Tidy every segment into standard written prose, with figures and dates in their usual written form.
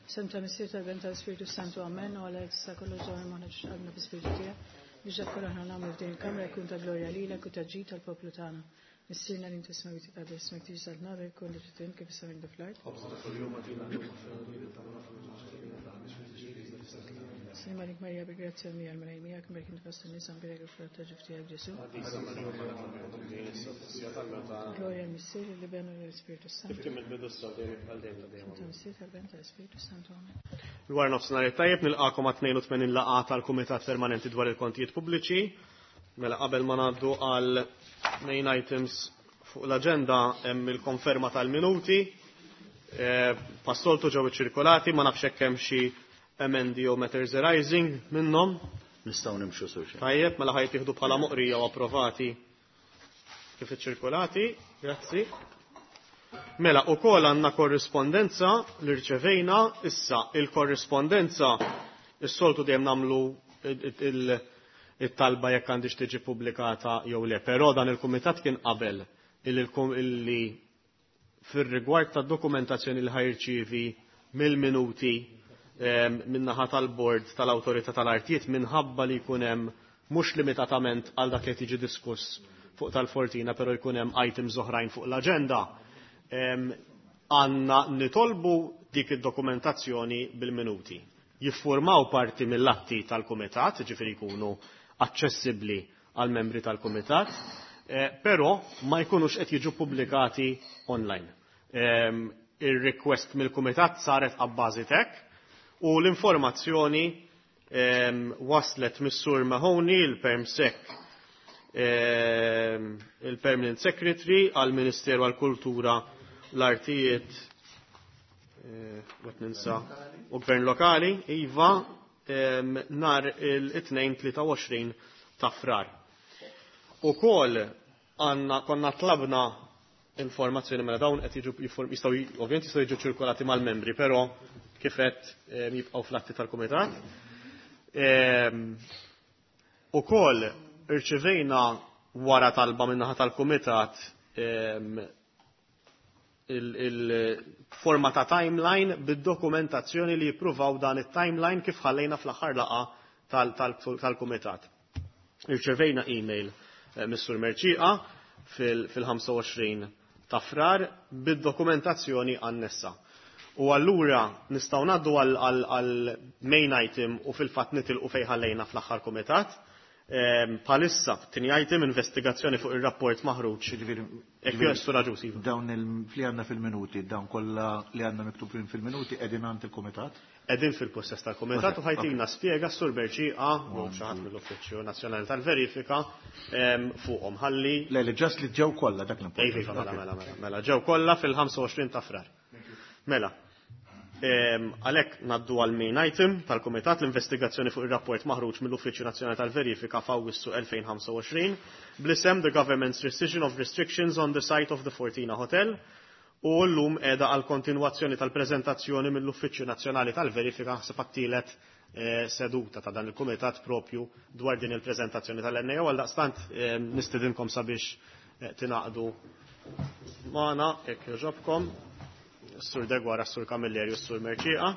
Sem ta' Missier tal-Ben tal-Spiritu Santu Amen u għalhekk sa kollox ġewwa maħna qalbna bi-Spiritu tiegħek biex dak kollu aħna nagħmlu f'din il-kamra jkun ta' glorja lilek u ta' ġid tal-poplu tagħna. Missierna li inti smajt tqaddes ismek tiġi saltna jkun li trid kif is-sema fl-art. Slim għalik Marija bi grazzja mija l-Mulej miegħek merk inti fost in-nisa mbierek il-frott ta' ġuf tiegħek Ġesu. Glorja l-Missier li ben u l-Ispirtu Santu. Kif il-bidu s-sodin għal dejjem ta' dejjem. Ta' Missier tal-Ben tal-Ispirtu Santu. Amen. Dwar nofsinhar tajjeb nilqakom għat 82 laqgħa tal-Kumitat Permanenti dwar il-Kontijiet Pubbliċi. Mela qabel ma ngħaddu għal main items fuq l-aġenda hemm il-konferma tal-minuti. Passoltu ġew iċċirkolati, ma nafx hekk hemm xi emendi jew matters arising minnhom. Nistgħu nimxu sur xejn. Tajjeb, mela ħajt jieħdu bħala moqrija u approvati kif iċċirkolati. Grazzi. Mela, u kol għanna korrispondenza li rċevejna, issa il-korrispondenza is-soltu dejjem namlu il-talba jekk għandix tiġi pubblikata jew le, però dan il-kumitat kien qabel illi fir-rigward ta' dokumentazzjoni li ħajrċievi mill-minuti min-naħa tal-bord tal-Awtorità tal-Artijiet minħabba li jkun hemm mhux limitatament għal dak li tiġi diskuss fuq tal-Fortina, però jkun hemm items oħrajn fuq l-aġenda. Għanna nitolbu dik id-dokumentazzjoni bil-minuti. Jiffurmaw parti mill-atti tal-kumitat, ġifieri jkunu aċċessibbli għal membri tal-kumitat, però ma jkunux qed jiġu pubblikati online. Ir-request mill-kumitat saret abbażi tek u l-informazzjoni waslet mis-Sur Mahoney, il-Perm Sec, il-Permanent Secretary għal-Ministeru għal-Kultura, l-Artijiet, għat ninsa, u Gvern Lokali, Iva, nar il-2 23 ta' Frar. U kol għanna konna tlabna informazzjoni mela dawn qed jiġu jistgħu ovvjament jistgħu jiġu ċirkolati mal-membri, però kif qed jibqgħu fl-atti tal-kumitat. Ukoll irċivejna wara talba min-naħa tal-kumitat il-forma ta' timeline bid-dokumentazzjoni li jippruvaw dan it-timeline kif ħallejna fl-aħħar laqgħa tal-kumitat. Irċevejna email Mr. Merċiqa fil-25 ta' Frar bid-dokumentazzjoni annessa. U allura nistgħu ngħaddu għal main item u fil-fatt nitilqu fejn ħallejna fl-aħħar kumitat. Palissa, tini item investigazzjoni fuq ir-rapport maħruġ. Ekk Sur Agius, iva. Dawn li għandna fil-minuti, dawn kollha li għandna miktubin fil-minuti qegħdin għand il-kumitat? Qegħdin fil-possess tal-kumitat u ħajtina spjega s-Sur Merċiqa u xi ħadd mill-Uffiċċju Nazzjonali tal-Verifika fuqhom ħalli. Le, le, ġast li ġew kollha dak l-importanti. Iva, mela, mela, mela, mela, ġew kollha fil-25 ta' Frar. Mela. Għalhekk ngħaddu għal main item tal-Kumitat l-investigazzjoni fuq ir-rapport maħruġ mill-Uffiċċju Nazzjonali tal-Verifika f'Awwissu 2025 bl-isem The Government's Rescission of Restrictions on the Site of the Fortina Hotel u llum qiegħda għal kontinwazzjoni tal-preżentazzjoni mill-Uffiċċju Nazzjonali tal-Verifika ħseb għat-tielet seduta ta' dan il-Kumitat propju dwar din il-preżentazzjoni tal-NAO għal daqstant nistedinkom sabiex tingħaqdu magħna jekk jogħġobkom. Sur Degwara, Sur Camilleri u Sur Merċiqa.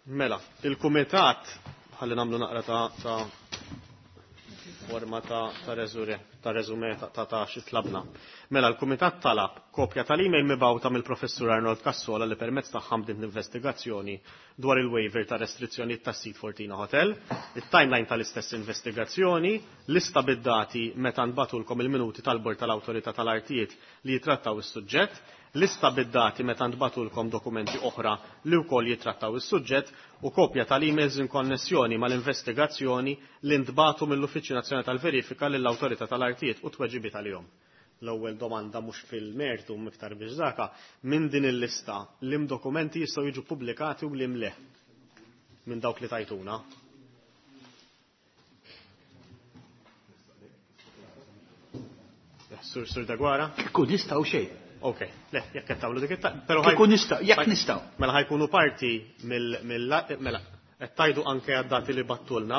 Mela, il-Kumitat, ħalli nagħmlu naqra ta' forma ta' reżure, ta' reżume ta' xi tlabna. Mela, l-Kumitat talab kopja tal-email mibgħuta mill-Professur Arnold Cassola li permezz tagħha bdiet l-investigazzjoni dwar il-waiver ta' restrizzjonijiet tas-sit Fortina Hotel, it-timeline tal-istess investigazzjoni, lista bid-dati meta nbatulkom il-minuti tal-Bord tal-Awtorità tal-Artijiet li jitrattaw is-suġġett, lista bid-dati meta nbatulkom dokumenti oħra li wkoll jitrattaw is-suġġett u kopja tal-emails in konnessjoni mal-investigazzjoni li ntbatu mill-Uffiċċju Nazzjonali tal-Verifika lill-Awtorità tal-Artijiet u tweġibiet għalihom. L-ewwel domanda mhux fil-mertu iktar biex daka, minn din il-lista lim dokumenti jistgħu jiġu pubblikati u lim le minn dawk li tajtuna. Sur Dagwara? Kieku nistgħu xejn. Ok, le, jekk qed tagħmlu dik it-ta-, però Kieku nistgħu, jekk nistgħu. Mela ħajkunu parti mill-, mela. Qed tgħidu anke għad-dati li bgħattulna.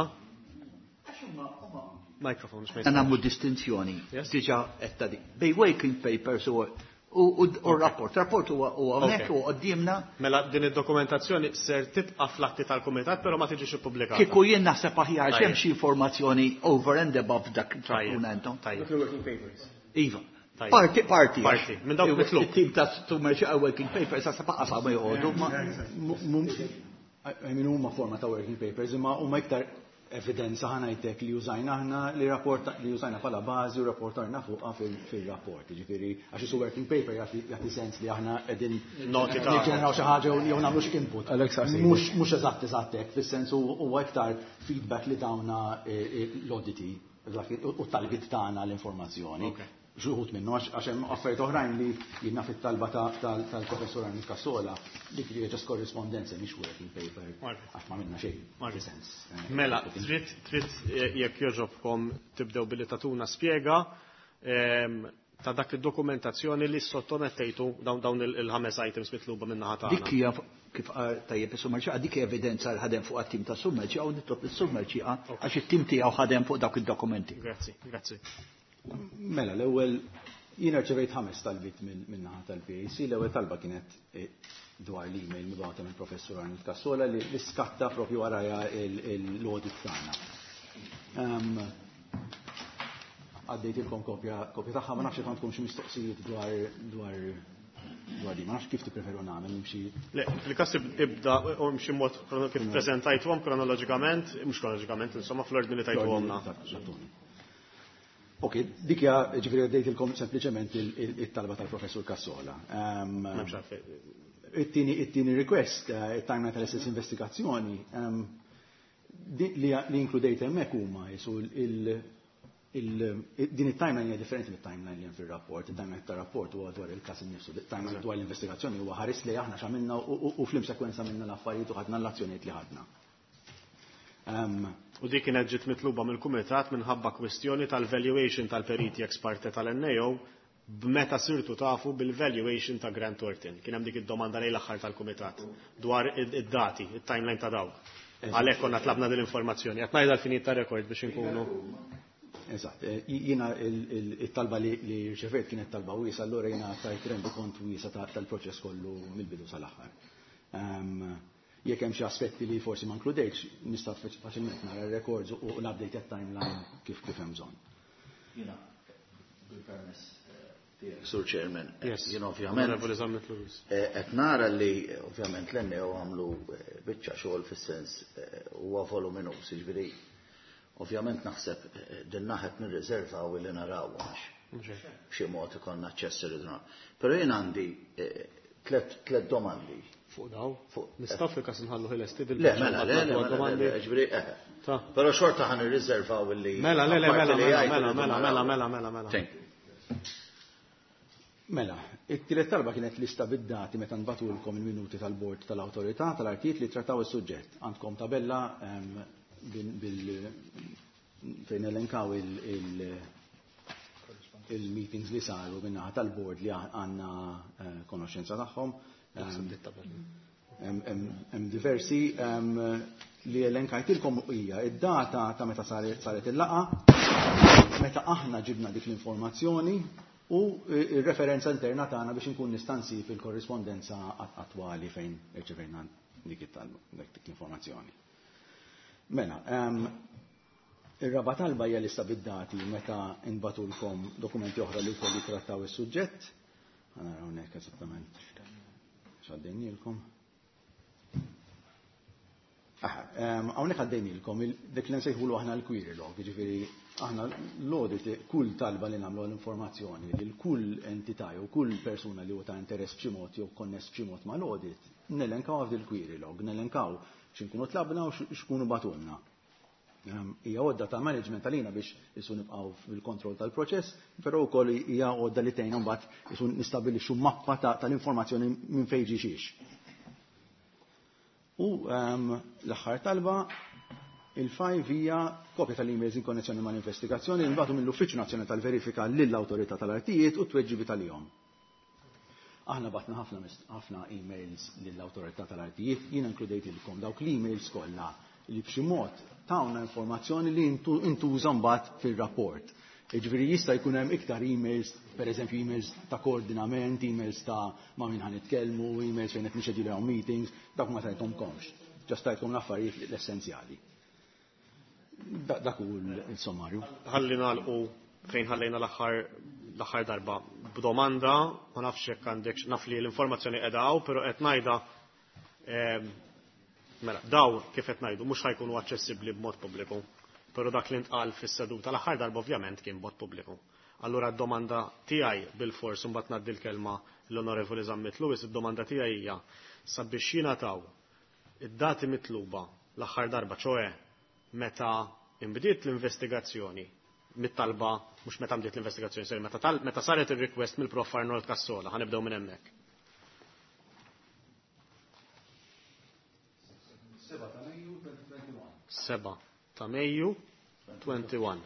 Microphone, mhux ma Nagħmlu distinzjoni. Yes. Diġà qed ta' dik. Bejn working papers u rapport. Rapport huwa hawnhekk u quddiemna. Mela din id-dokumentazzjoni ser tibqa' fl-atti tal-kumitat, però ma tiġix ippubblikata. Kieku jien naħseb aħjar x'hemm xi informazzjoni over and above dak li tagħtuna intom. Tajjeb. Working papers. Iva. Tajjeb. Parti, parti. Parti. Minn dawk mitlub. It-tim ta' Sumerċi working papers sa baqa' sa ma joqogħdu ma. I mean, huma forma ta' working papers, imma huma iktar evidenza ħa ngħidlek li użajna aħna li rapport li użajna bħala bażi u rapportarna fuqha fil-rapport. Ġifieri għax isu working paper jagħti sens li aħna qegħdin Noti ta' niġġeneraw xi ħaġa jew nagħmlu xi input. Alex, għasejt. Mhux eżatt eżatt hekk, fis-sens huwa iktar feedback li tawna l-auditi u t-talbiet tagħna l-informazzjoni. Ok. Xi wħud minnu għax hemm affarijiet oħrajn li jiena fit-talba tal-professur Arnold Cassola dik li just correspondence mhix working paper għax ma minna xejn. Margaret. Sens. Mela, trid jekk jogħġobkom tibdew billi tagħtuna spjega ta' dak id-dokumentazzjoni li sottomettejtu dawn il-ħames items mitluba minn naħa tagħna. Dik hija kif qal tajjeb is-Sumerċi, dik hija evidenza li ħadem fuq it-tim ta' Sumerċi u nitlob is-Sumerċi għax it-tim tiegħu ħadem fuq dawk id-dokumenti. Grazzi, grazzi. Mela, l-ewwel jiena rċevejt 5 talbiet minn naħa tal-PAC, l-ewwel talba kienet dwar l-email mibgħuta mill professur Arnold Cassola li skatta propju waraja l-audit tagħna. Għaddejtilkom kopja tagħha, ma nafx jekk għandkom xi mistoqsijiet dwar di, ma nafx kif tippreferu nagħmel nimxi. Le, fil-każ ibda u mxi mod kif preżentajtuhom kronoloġikament, mhux kronoloġikament, insomma fl-ordni li tajtuhomna. Ok, dik hija, ġifieri għaddejtilkom sempliċement it-talba tal-professur Cassola. M'hemmx għalfejn. It-tieni request, it-timeline tal-istess investigazzjoni, li inkludejt hemmhekk huma jisu din it-timeline hija differenti mit-timeline li hemm fir-rapport. Il-timeline tar-rapport huwa dwar il-każ innifsu, il-timeline dwar l-investigazzjoni huwa ħares li aħna x'għamilna u flim sekwenza minna l-affarijiet u ħadna l-azzjonijiet li ħadna. U dik kienet ġiet mitluba mill-Kumitat minħabba kwestjoni tal-valuation tal-periti ex parte tal-NAO b'meta sirtu tafu bil-valuation ta' Grant Thornton. Kien hemm dik id-domanda lejn l-aħħar tal-Kumitat dwar id-dati, it-timeline ta' dawk. Għalhekk konna tlabna din l-informazzjoni. Qed ngħidha l-finit ta' rekord biex inkunu. Eżatt. Jiena it-talba li rċevejt kienet talba wiesa, allura jiena tajt rendi kont wiesa tal-proċess kollu mill-bidu sal-aħħar. Jekk hemm xi aspetti li forsi ma nkludejtx, nista' faċilment nara r-records u l-update timeline kif hemm bżonn. Jiena bil-permess tiegħek, Sur Chairman, Yes. jien ovvjament Onorevoli Zammit Lewis. Qed nara li ovvjament l-NAO għamlu biċċa xogħol fis-sens huwa voluminuż, jiġifieri ovvjament naħseb din naħet nirriserva u li naraw għax b'xi mod ikollna aċċess irridu naraw. Però jien għandi tliet domandi. Fuq daw? Fuq. Nistgħu fil-każ nħallu ħilesti Le, dil-biċċa mela, le, le, mela, domandi. le, ġifieri, Ta. Però xorta ħan irriservaw illi Mela, le, le, apparti mela, li mela, jgħid mela, irridu mela, naraw. mela, mela, mela, mela. Thank you. Mela, it-tielet talba kienet lista bid-dati meta nbatulkom il-minuti tal-bord tal-awtorità tal-artijiet li trattaw is-suġġett. Għandkom tabella fejn elenkaw il-meetings li saru min-naħa tal-bord li għandna konoxenza tagħhom. Hemm diversi li elenkajtilkom hija id-data ta' meta saret il-laqgħa, meta aħna ġibna dik l-informazzjoni u il-referenza interna tagħna biex inkun nista' nsib il-korrispondenza attwali fejn irċevejna dik it-talba, dik l-informazzjoni. Mela, ir-raba talba hija lista bid-dati meta nbatulkom dokumenti oħra li wkoll jitrattaw is-suġġett. Ħa naraw hawnhekk eżattament x'għaddejnielkom. Hawnhekk għaddejnielkom dik li nsejħulu aħna l-query log, jiġifieri aħna l-audit kull talba li nagħmlu l-informazzjoni lil kull entità jew kull persuna li huwa ta' interess b'xi mod jew konness b'xi mod mal-audit, nelenkaw f'dil query log, nelenkaw x'inkunu tlabna u x'kunu batulna. Hija għodda ta' management għalina biex isu nibqgħu fil-kontroll tal-proċess, però wkoll hija għodda li tgħinna mbagħad isu nistabbilixxu mappa tal-informazzjoni minn fejn ġie xiex. U l-aħħar talba, il-5 hija kopja tal-emails in konnessjoni mal-investigazzjoni li nbagħtu mill-Uffiċċju Nazzjonali tal-Verifika lill-Awtorità tal-Artijiet u t-tweġibi tal-jom. Aħna bgħatna ħafna ħafna emails lill-awtorità tal-artijiet, jiena inkludejtilkom dawk l-emails kollha li b'xi mod tawna informazzjoni li intuża mbagħad fir-rapport. Jiġifieri jista' jkun hemm iktar emails, pereżempju emails ta' koordinament, emails ta' ma' min ħa nitkellmu, emails fejn qed nixxedjulaw meetings, dawk ma tajthomkomx. Just tajtkom l-affarijiet l-essenzjali. Dak hu l-sommarju. Ħalli nagħlqu fejn ħallejna l-aħħar darba b'domanda, ma nafx jekk għandek, naf li l-informazzjoni qiegħda hawn, però qed ngħidha, mela, daw kif qed ngħidu mhux ħa jkunu aċċessibbli b'mod pubbliku. Però dak li ntqal fis-seduta l-aħħar darba ovvjament kien b'mod pubbliku. Allura d-domanda tiegħi bil-fors imbagħad ngħaddi l-kelma l-Onorevoli Zammit Lewis, id-domanda tiegħi hija sabiex jingħataw id-dati mitluba l-aħħar darba, ċoe meta imbdiet l-investigazzjoni mit-talba, mhux meta bdiet l-investigazzjoni, sorry, meta saret ir-request mill-Prof Arnold Cassola, ħa nibdew minn hemmhekk. 7 ta' Mejju 2021. 7 ta' Mejju 21.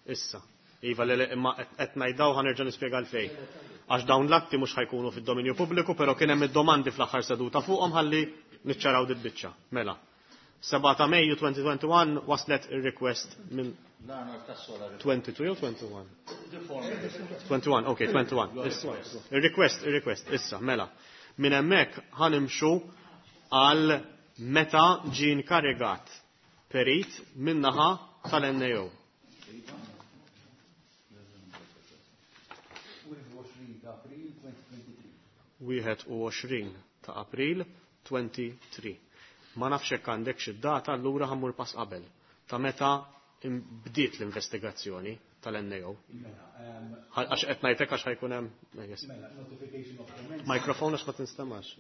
Issa. Iva, le, imma qed ngħidaw ħa nerġa' nispjega għalfejn. Għax dawn l-atti mhux ħa jkunu fid-dominju pubbliku, però kien hemm id-domandi fl-aħħar seduta fuqhom ħalli niċċaraw dit biċċa. Mela. 7 ta' Mejju 2021 waslet ir-request minn 22 jew 21? 21, ok, 21. Issa. Ir-request, ir-request, issa, mela. Minn hemmhekk ħa nimxu għal meta ġie inkarigat perit min-naħa tal-NAO. 21 ta' April 23. Ma nafx hekk għandek xi data, allura ħa mmur pass qabel. Ta' meta bdiet l-investigazzjoni tal-NAO. Għax qed ngħidlek għax ħa jkun hemm. Mela, notification of comments. Mikrofon għax ma tinstemax.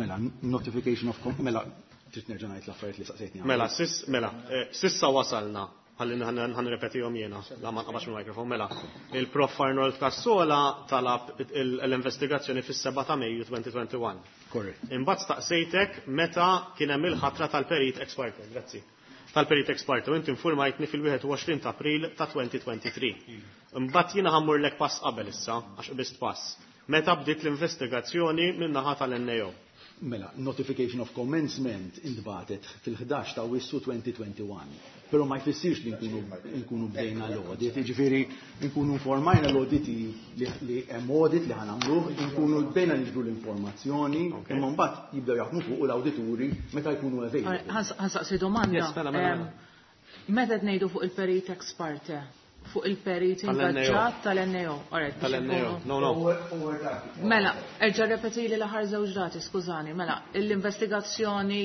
Mela, notification of mela, trid nerġa' ngħid l-affarijiet li saqsejtni. Mela, mela, sissa wasalna, ħalli ħa nirrepetihom jiena, la ma nqabax mill-mikrofon, mela. Il-Prof Arnold Cassola talab l-investigazzjoni fis-7 ta' Mejju 2021. Korrett. Imbagħad staqsejtek meta kien hemm il-ħatra tal-perit ex parte, grazzi. Tal-perit ex parte, u inti informajtni fil-21 ta' April ta' 2023. Imbagħad jiena ħa mmurlek pass qabel issa, għax qbist pass. Meta bdiet l-investigazzjoni min-naħa tal-NAO? Mela, notification of commencement intbagħtet fil-11 ta' Awwissu 2021. Però ma jfissirx li nkunu bdejna l-audit, jiġifieri nkunu informajna l-audit li hemm audit li ħa nagħmluh, nkunu bdejna niġbru l-informazzjoni, imma mbagħad jibdew jaħdmu fuq l-awdituri meta jkunu available. Ħa nsaqsi domanda. Yes, mela, mela, mela. Meta qed ngħidu fuq il-perit ex parte? Fuq il-perit Tal-NAO. ingaġġat tal-NAO. All right, biex Tal-NAO. ikunu No, no. Mela, erġa' repetili l-aħħar żewġ dati, skużani. Mela, l-investigazzjoni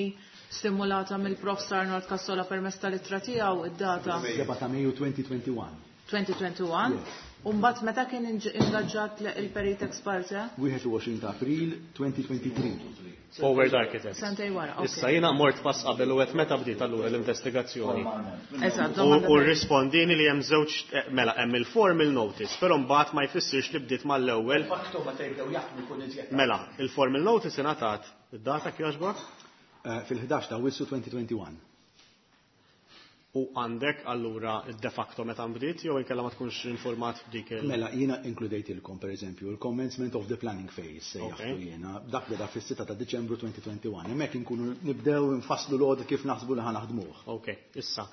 stimulata mill-Prof Arnold Cassola permezz tal-ittra tiegħu id-data 7 ta' Mejju 2021. 2021. Yes. U mbagħad meta kien ingaġġat il-perit ex parte? 21 ta' April 2023. Forward Architects. Sentej wara, ok. Issa jiena mort pass qabel u qed meta bdiet allura l-investigazzjoni. Eżatt, U domanda u rrispondini li hemm żewġ, mela hemm il-formal notice, però mbagħad ma jfissirx li bdiet mal-ewwel. Faktu meta jibdew jaħdmu jkun iżjed. Mela, il-formal notice ingħatat id-data kif Fil-11 ta' Awwissu 2021. U għandek allura de facto meta nbdiet jew inkella ma tkunx informat f'dik il- Mela, jiena inkludejtilkom per eżempju il-commencement of the planning phase sejjaħtu jiena, dak beda fis-6 ta' Diċembru 2021. Hemmhekk inkunu nibdew nfasslu l-audit kif naħsbu li ħa naħdmuh. Ok, issa.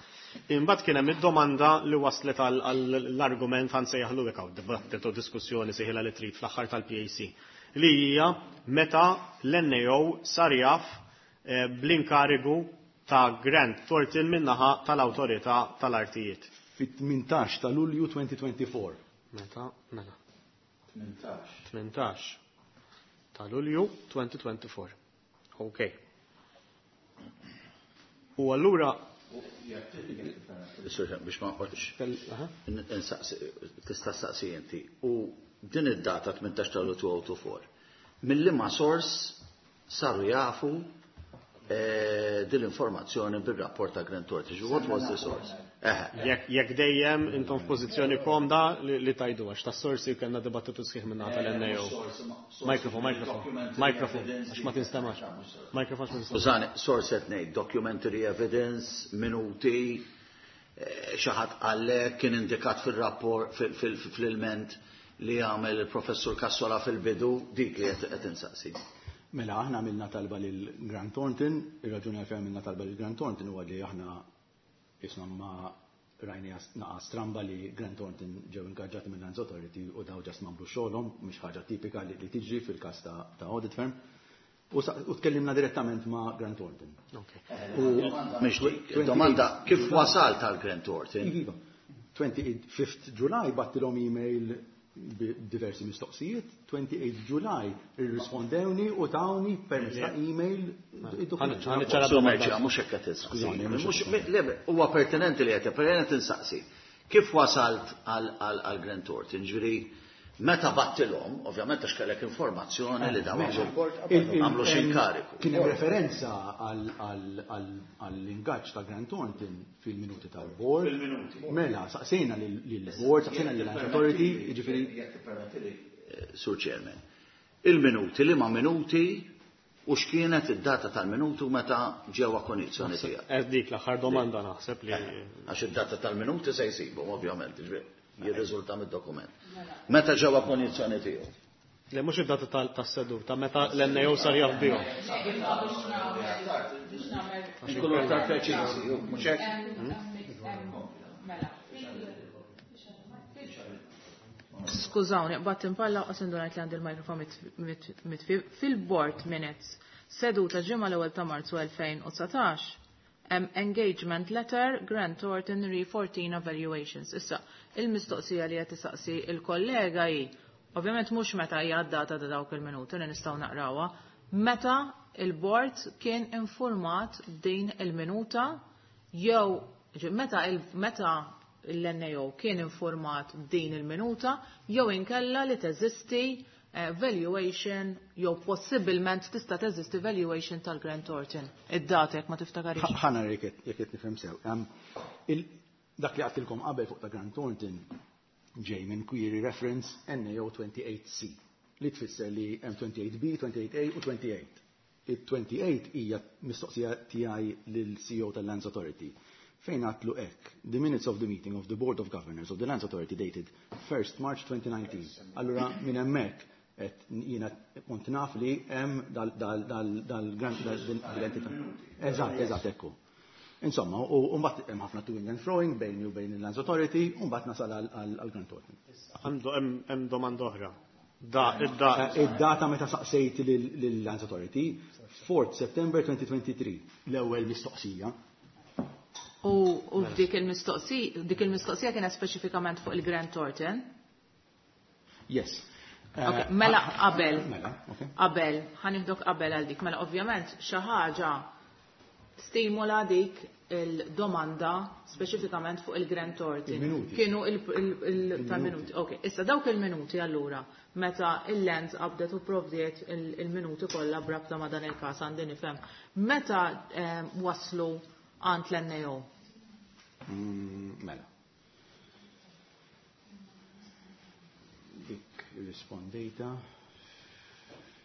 Imbagħad kien hemm id-domanda li waslet għall-argument ħa nsejjaħlu hekk hawn dibattitu diskussjoni sejħilha li trid fl-aħħar tal-PAC li hija meta l-NAO sar jaf bl-inkarigu ta' Grant Thornton min-naħa tal-Awtorità tal-Artijiet. Fit-18 ta' Lulju 2024. Meta? Mela. 18. 18 ta' Lulju 2024. Ok. U allura Sorry, biex ma nqgħodx. Tista' staqsi inti. U din id-data 18 ta' Lulju 2024. Mill-liema sors saru jafu din l-informazzjoni bil-rapport ta' Grant Thornton. What was the source? Jekk dejjem intom f'pożizzjoni komda li tajdu għax ta' sorsi kellna dibattitu sħiħ minn tal-NAO. Mikrofon, mikrofon, mikrofon, għax ma tinstemax. Mikrofon għax ma tinstemax. Skużani, source qed ngħid documentary evidence, minuti, xi ħadd qallek kien indikat fil-rapport fil-ilment li għamel il-professur Cassola fil-bidu dik li qed insaqsi. Mela aħna għamilna talba lil Grant Thornton, ir-raġuni għalfejn għamilna talba lil Grant Thornton huwa li aħna isna ma rajna naqa stramba li Grant Thornton ġew ingaġġati minn Lands Authority u daw just m'għamlu xogħolhom, mhix ħaġa tipika li tiġri fil-każ ta' audit firm. U tkellimna direttament ma' Grant Thornton. Mhix dik, domanda kif wasalt għal Grant Thornton? Iva. 25 July bgħattilhom email b'diversi mistoqsijiet, 28 July irrispondewni u tawni permezz ta' email id-dokument. Merċa, mhux hekk qed insaqsi. Huwa pertinenti li qed pertinenti insaqsi. Kif wasalt għal Grant Thornton? Ġifieri meta bgħattilhom, ovvjament għax kellek informazzjoni li dawn għamlu xi inkariku. Kien hemm referenza għall-ingaġġ ta' Grant Thornton fil-minuti tal-board. Fil-minuti. Mela, saqsejna lill-board, saqsejna lill-Lands Authority, jiġifieri. Jekk tippermettili, Sur Chairman. Il-minuti, liema minuti u x'kienet id-data tal-minuti u meta ġew konjizzjoni tiegħek. Dik l-aħħar domanda naħseb li. Għax id-data tal-minuti se jsibu, ovvjament, jirriżulta mid-dokument. Meta ġew konjizzjoni tiegħu? Le mhux id-data tas-seduta, meta l-NAO sar jaf bihom. Nkunu aktar preċiżi, mhux hekk? Skużawni, qbadt impalla u indunajt li għandi il-mikrofon mitfi. Fil-board minutes, seduta ġimgħa l-ewwel ta' Marzu 2019, hemm engagement letter Grant Thornton re 14 evaluations. Issa, il-mistoqsija li qed isaqsi il-kollega hi, ovvjament mhux meta hija d-data ta' dawk il-minuti li nistgħu naqrawha, meta il-board kien informat din il-minuta jew meta meta l-NAO kien informat din il-minuta jew inkella li teżisti valuation jew possibilment tista' teżisti valuation tal-Grant Thornton. Id-data jekk ma tiftakarix. Ħa nara jekk qed nifhem sew. Dak li għedtilkom qabel fuq ta' Grant Thornton ġej minn query reference NAO 28C li tfisser li hemm 28B, 28A u 28. Il-28 hija mistoqsija tiegħi lill-CEO tal-Lands Authority. Fejn għedtlu hekk, the minutes of the meeting of the Board of Governors of the Lands Authority dated 1st March 2019. Allura minn hemmhekk qed jiena kont naf li hemm dal-entità. Eżatt, eżatt ekku. Insomma, u mbagħad hemm ħafna toing and froing bejni u bejn il-Lands Authority, u mbagħad nasal għal Grant Thornton. Għandu hemm domanda oħra. Da, id-data. Id-data meta saqsejt lill-Lands Authority, 4 September 2023, l-ewwel mistoqsija. U dik il-mistoqsija, dik il-mistoqsija kienet speċifikament fuq il-Grant Thornton? Yes. Okay, mela qabel. Mela, okay. Qabel, ħa nieħdok qabel għal dik. Mela ovvjament xi ħaġa stimula dik il-domanda speċifikament fuq il-Grant Thornton. Il-minuti. Kienu tal-minuti. Ok, issa dawk il-minuti allura meta il-Lands qabdet u provdiet il-minuti kollha brabta ma' dan il-każ għandi nifhem. Meta waslu għand l-NAO? Mela. Dik rispondejta.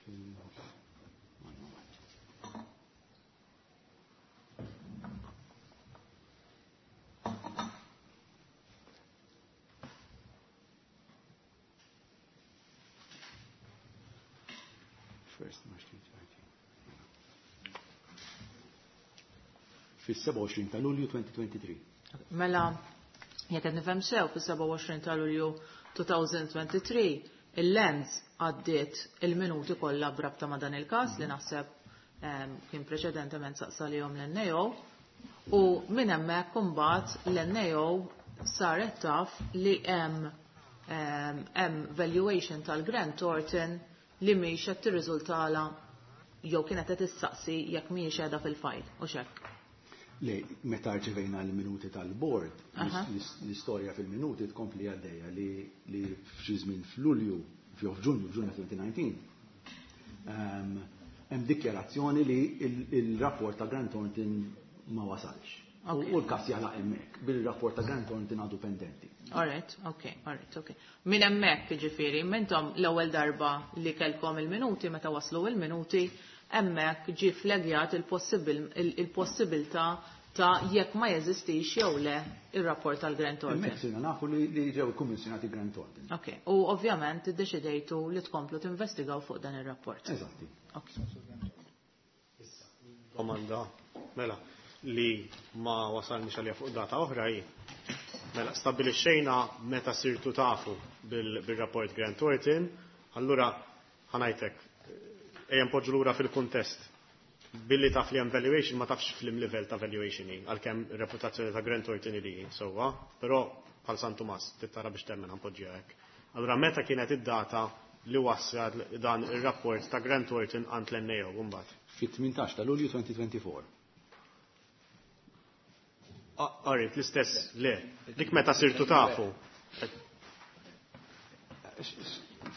One moment. First March 2019. Fis-27 ta' Lulju 2023. Mela, jekk qed nifhem sew fis-27 ta' Lulju 2023, il-Lands għaddiet il-minuti kollha brabta ma' dan il-każ li naħseb kien preċedentement saqsalihom l-NAO u minn hemmhekk imbagħad l-NAO saret taf li hemm valuation tal-Grant Thornton li mhix qed tirriżultala jew kienet qed issaqsi jekk mhijiex qiegħda fil-fajl u x'hekk. Le, meta rċevejna l-minuti tal-board, l-istorja fil-minuti tkompli għaddejja li f'xi żmien f'Lulju, jew f'Ġunju, f'Ġunju 2019, hemm dikjarazzjoni li il-rapport ta' Grant Thornton ma wasalx. U l-każ jagħlaq hemmhekk, bil-rapport ta' Grant Thornton għadu pendenti. All right, okay, all right, okay. Min hemmhekk jiġifieri, mintom l-ewwel darba li kellkom il-minuti, meta waslu il-minuti, hemmhekk ġie flagjat il-possibilità ta' jekk ma jeżistix jew le ir-rapport tal-Grant Thornton. Hemmhekk sirna nafu li ġew ikkummissjonati Grant Thornton. Ok, u ovvjament iddeċidejtu li tkomplu tinvestigaw fuq dan ir-rapport. Eżatti. Ok. Domanda, mela, li ma wasalniex għalija fuq data oħra hi. Mela, stabbilixxejna meta sirtu tafu bil-rapport Grant Thornton, allura ħa ngħidlek, ejja npoġġu lura fil-kuntest. Billi taf li hemm valuation ma tafx f'liem livell ta' valuation hi, għalkemm reputazzjoni ta' Grant Thornton li hi, sewwa, però bħal San Tumas, tittara biex temmen ħa npoġġiha hekk. Allura meta kienet id-data li wassal dan ir-rapport ta' Grant Thornton għand l-NAO mbagħad? Fit-18 ta' Lulju 2024. Alright, l-istess, le. Dik meta sirtu tafu.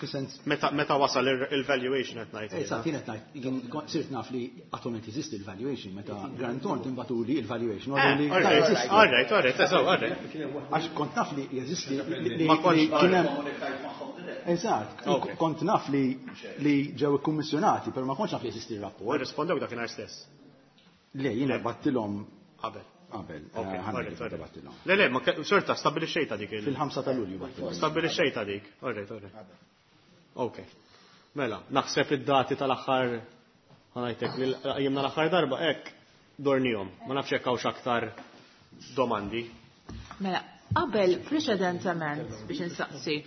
Fis-sens Meta wasal il-valuation qed ngħid. Eżatt, jien qed ngħid, jien sirt naf li attualment jeżisti il-valuation meta Grant Thornton bagħtuli il-valuation. Alright, eżatt, alright. Għax kont naf li jeżisti li Ma kontx- kien hemm Eżatt, kont naf li ġew ikkummissjonati, però ma kontx naf li jeżisti r-rapport. Rispondew dakinhar stess. Le, jiena bgħattilhom Qabel. Qabel, Ok, ħa ngħid alright. bgħattilhom. Le, le, ma xorta, stabbilixxejta dik il- Fil-5 ta' Lulju bgħattilhom. Stabbilixxejta dik. Alright, alright. Ok. Mela, naħseb id-dati tal-aħħar ħa ngħidlek li jimna l-aħħar darba hekk dornihom. Ma nafx hekk hawnx aktar domandi. Mela, qabel preċedentement biex insaqsi.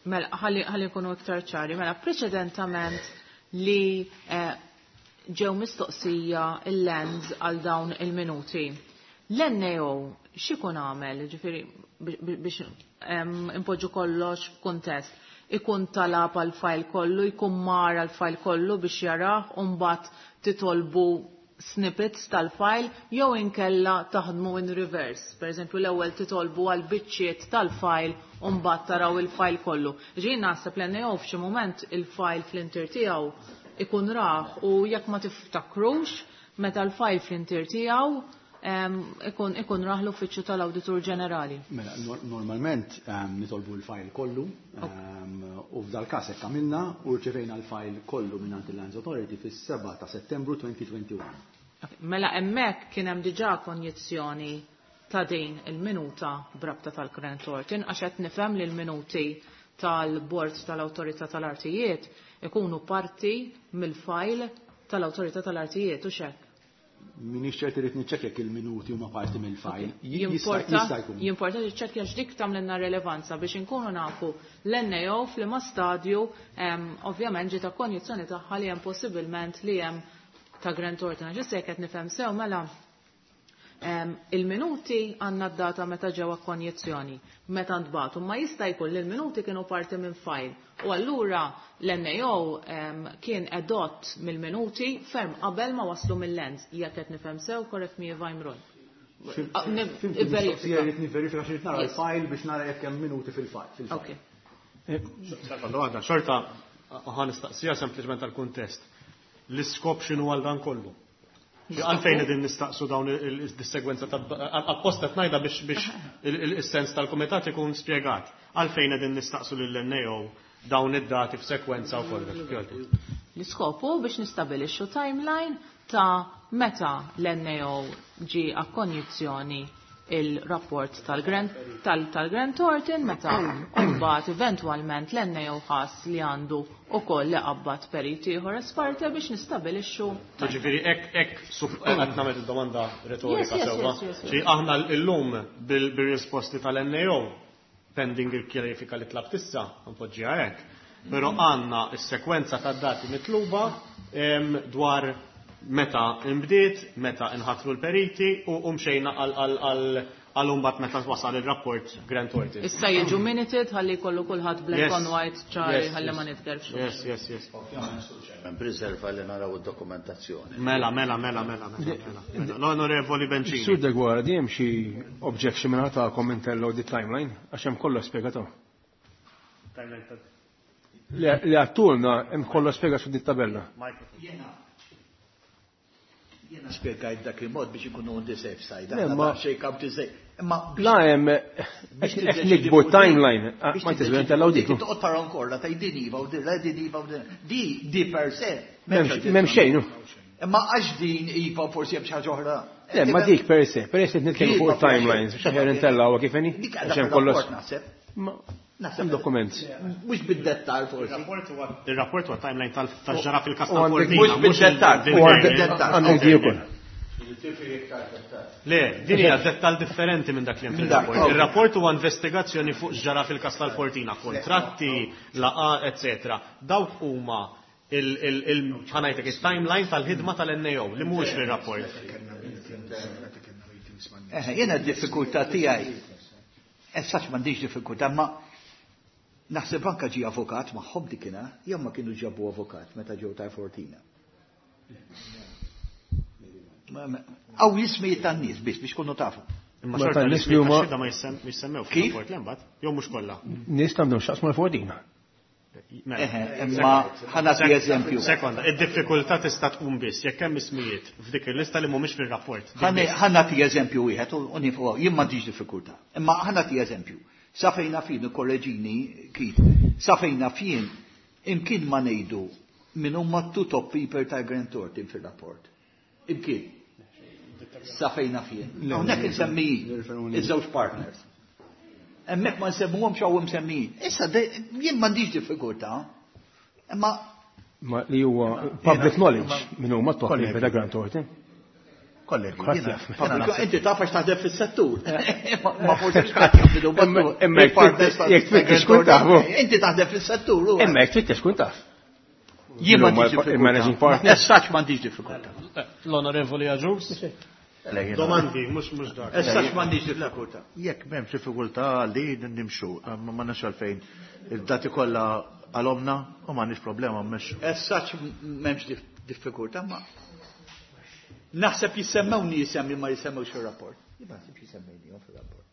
Mela, ħalli nkunu iktar ċari, mela preċedentament li ġew mistoqsija il-Lands għal dawn il-minuti. L-NAO x'ikun għamel, ġifieri biex impoġġu kollox f'kuntest, ikun talab għal fajl kollu, ikun mar għal fajl kollu biex jarah, u mbagħad titolbu snippets tal-fajl, jew inkella taħdmu in reverse. Per eżempju, l-ewwel titolbu għal biċċiet tal-fajl u mbagħad taraw il-fajl kollu. Ġi naħseb l-NAO f'xi mument il-fajl fl-intier tiegħu ikun raħ u jekk ma tiftakrux meta l-fajl fl-intier tiegħu ikun raħ l-uffiċċju tal-Awditur Ġenerali. Mela, normalment nitolbu l-fajl kollu, u f'dal każ hekk għamilna u rċevejna l-fajl kollu minn il-Lands Authority fis-7 ta' Settembru 2021. Ok, mela hemmhekk kien hemm diġà konjizzjoni ta' din il-minuta brabta tal-Grant Thornton, għax qed nifhem li l-minuti tal-Bord tal-Awtorità tal-Artijiet ikunu parti mill-fajl tal-Awtorità tal-Artijiet u xek. Minix ċert irid niċċekkja jekk il-minuti huma parti mill-fajl. Ok. Jista' jkun. Jimporta tiċċekkja x'dik tagħmlilna rilevanza biex inkunu nafu l-NAO f'liema stadju, ovvjament ġiet konjizzjoni tagħha li hemm possibilment li hemm ta' Grant Thornton. Għax issa jekk qed nifhem sew mela il-minuti għandna d-data meta ġew konjizzjoni, meta ntbagħtu, ma jista' jkun li l-minuti kienu parti minn fajl. U allura l-NAO kien edott mill-minuti ferm qabel ma waslu mill-Lands. Jekk qed nifhem sew, correct me if I'm wrong. Fhimt Verifika. il-mistoqsija, rrid nivverifika xi nara l-fajl biex nara jekk hemm minuti fil-fajl. Ok. Sekonda waħda, xorta ħa nistaqsija sempliċement tal-kuntest. L-iskop x'inhu għal dan kollu? Għalfejn qegħdin nistaqsu dawn il-segwenza ta' apposta qed ngħidha biex il-sens tal-kumitat ikun spjegat. Għalfejn qegħdin nistaqsu lill-NAO dawn id-dati f'sekwenza u kollox. L-iskopu biex nistabilixxu timeline ta' meta l-NAO ġi akkonjizzjoni il-rapport tal-Grant Thornton, meta mbagħad eventwalment l-NAO ħass li għandu ukoll li qabad periti ieħor esperte biex nistabilixxu. Ġifieri hekk qed nagħmel id-domanda retorika sewwa. Yes. Ġi aħna llum bil-risposti tal-NAO pending il-kjarifika li tlabt issa, npoġġiha hekk. Però għandna s-sekwenza tad-dati mitluba dwar meta imbdiet, meta inħatru l-periti u mxejna għal imbagħad meta wasal il-rapport Grant Thornton. Issa jiġu minuted ħalli jkollu kulħadd black on white ċari ħalli ma nitgerfxux. Yes. Hemm riserva li naraw id-dokumentazzjoni. Mela, mela, mela, mela, mela, mela. L-Onorevoli Bencini. Sur Deguara, di hemm xi objection minn tagħkom intellu di timeline għax hemm kollox spjegato. Timeline ta' Li għattulna hemm kollox spjegat fuq dit tabella. Microphone. Jena spjegajt dak il-mod biex ikunu on the safe side. Le, Aħna ma- daqsxejn kam to say. Imma La hemm biex qed tiddeċidi nikbu fuq din- timeline, biex ma tiddeċidi tisbent tal dik. Toqgħod tara nkorla ta' din iva u din la din iva u din. Di per se. M'hemm xejn. Imma għax din iva forsi hemm xi ħaġa oħra. Le, ma dik per se, per se nitkellmu fuq timelines, biex aħjar intellgħu kif inhi. Dik Għax għadha hemm kollox. fir-rapport naħseb. Ma Naħseb hemm dokument. Mhux bid-dettal forsi. Il-rapport huwa timeline tal-ġara fil-kas U għandek- tal-Fortina. Mhux bid-dettal, il- u għandek dettal. Għandek di ukoll. Le, din hija dettal differenti minn dak li hemm Minn dak, fil-rapport. ok. Il-rapport huwa investigazzjoni fuq ġara fil-kas tal-Fortina, kontratti, laqa, eccetera. Dawk huma il-ħanajtek il-timeline tal-ħidma tal-NAO li mhuwiex fir-rapport. Eh, Jiena d-diffikultà tiegħi. Essax m'għandix diffikultà, ma naħseb anka ġie avukat magħhom dikina, jew ma kienu ġabu avukat meta ġew ta' Fortina. Aw jismijiet tan-nies biss biex kunu tafu. Imma Ma xorta tan-nies l-ismijiet li huma- tax-xhieda ma jissemmew Kif? fil-rapport l-imbagħad, jew mhux kollha. Nies għandhom x'jaqsmu l-Fortina. Mela. Eħe, imma ħa nagħti eżempju. Sekonda, id-diffikultà tista' tqum biss jekk hemm ismijiet f'dik il-lista li mhumiex fir-rapport. Dik biss. Ħa nagħti eżempju wieħed u nifu jien m'għandix diffikultà. Imma ħa nagħti eżempju. Sa fejna fin korreġini Keith, sa fejna fin imkien ma ngħidu min huma two top people ta' Grant Thornton fir-rapport. Imkien. Sa fejna fin. Hawnhekk insemmi iż-żewġ partners. Hemmhekk ma nsemmuhomx hawn msemmijin. Issa jien m'għandix diffikultà. Imma Ma li huwa public knowledge minn huma top people ta' Grant Thornton. Kollegi, Kulħadd jiena- jaf. jiena naħseb- Inti taf għax taħdem fis-settur. Ma forsi x'qatt jaf Imma jekk tfittex kun tafu. Inti taħdem fis-settur. u- Imma jekk tfittex kun taf. Jien Huma m'għandix diffikultà. il-managing partner. As such m'għandix diffikultà. L-Onorevoli Aġus? Domandi, mhux mhux dak. As such m'għandix diffikultà. Jekk m'hemmx diffikultà li nimxu, ma nafx għalfejn. Il-dati kollha għalomna u m'għandniex problema mmexxu. As such m'hemmx diffikultà ma naħseb jissemmew nies hemm li ma jissemmewx fir-rapport. Jien ma naħsibx jisemmejnihom fir-rapport.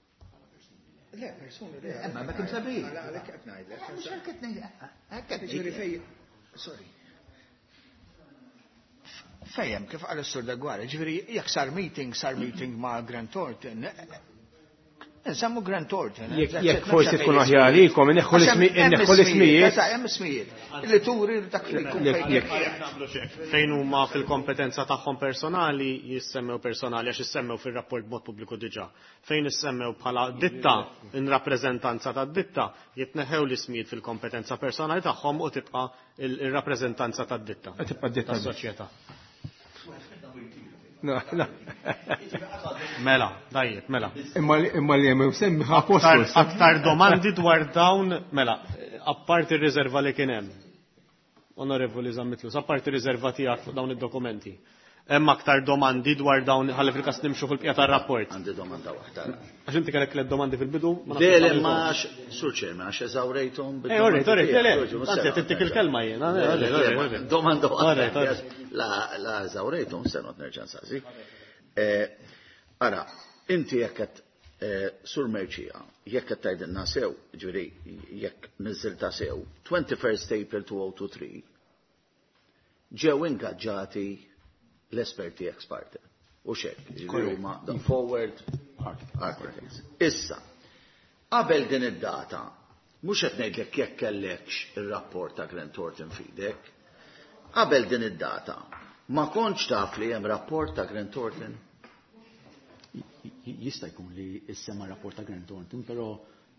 Le, persuni le. Imma ma kien sabiħ. Għalhekk qed ngħidlek. Mhux hekk qed ngħid- hekk qed Ġifieri ngħidlek. fej, sorry. Fejem, kif qal is-Sur Dagwara, ġifieri jekk sar meeting, sar meeting ma' Grant Thornton, nsemmu Grant Thornton. Jekk forsi tkun aħjar għalikom, inneħħu l-ismijiet. Hemm ismijiet. Li turi dak li jkun Jekk- fejn. jekk- Fejn huma fil-kompetenza tagħhom personali jissemmew personali għax issemmew fir-rapport b'mod pubbliku diġà. Fejn issemmew bħala ditta in rappreżentanza tad-ditta jitneħħew l-ismijiet fil-kompetenza personali tagħhom u tibqa' il-rappreżentanza tad-ditta. Tibqa' d-ditta. Tas-soċjetà. No, no. Mela, dajjeb, mela. Imma imma li hemm semmi Aktar, apostol. aktar domandi dwar dawn, mela, apparti r-riserva li kien hemm. Onorevoli Zammitlus, apparti r-riserva tiegħek fuq dawn id-dokumenti. Hemm aktar domandi dwar dawn ħalli fil-każ nimxu fil-bqija tar-rapport. Għandi domanda waħda. Għax inti kellek tliet domandi fil-bidu, ma nafx Dele għamilthom. ma Sur Chairman, għax eżawrejthom Eh, all right, all right, le, le, anzi, qed tittik il-kelma jien, all right, all right, all right. Domanda All right, all waħda. right. La, la eżawrejthom, se not nerġa' nsaqsi. Ara, inti jekk qed Sur Merċija, jekk qed tgħidilna sew, ġifieri jekk niżilta sew, 21st April 2023 ġew ingaġġati l-esperti ex parte. U xek, ġifieri huma the forward architects. Issa, qabel din id-data, mhux qed ngħidlek jekk kellekx ir-rapport ta' Grant Thornton f'idek, qabel din id-data, ma kontx taf li hemm rapport ta' Grant Thornton? Jista' jkun li issemma rapport ta' Grant Thornton, però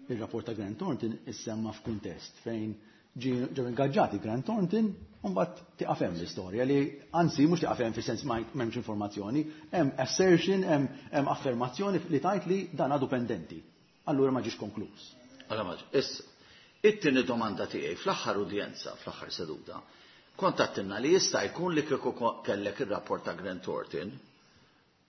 il-rapport ta' Grant Thornton issemma f'kuntest fejn ġew ingaġġati Grant Thornton u mbagħad tieqaf hemm l-istorja li anzi mhux tieqaf hemm fis-sens ma m'hemmx informazzjoni, hemm assertion, hemm affermazzjoni li tajt li dan għadu pendenti. Allura ma ġiex konkluż. Allora ma issa, it-tieni domanda tiegħi fl-aħħar udjenza, fl-aħħar seduta, kont għattilna li jista' jkun li kieku kellek ir-rapport ta' Grant Thornton,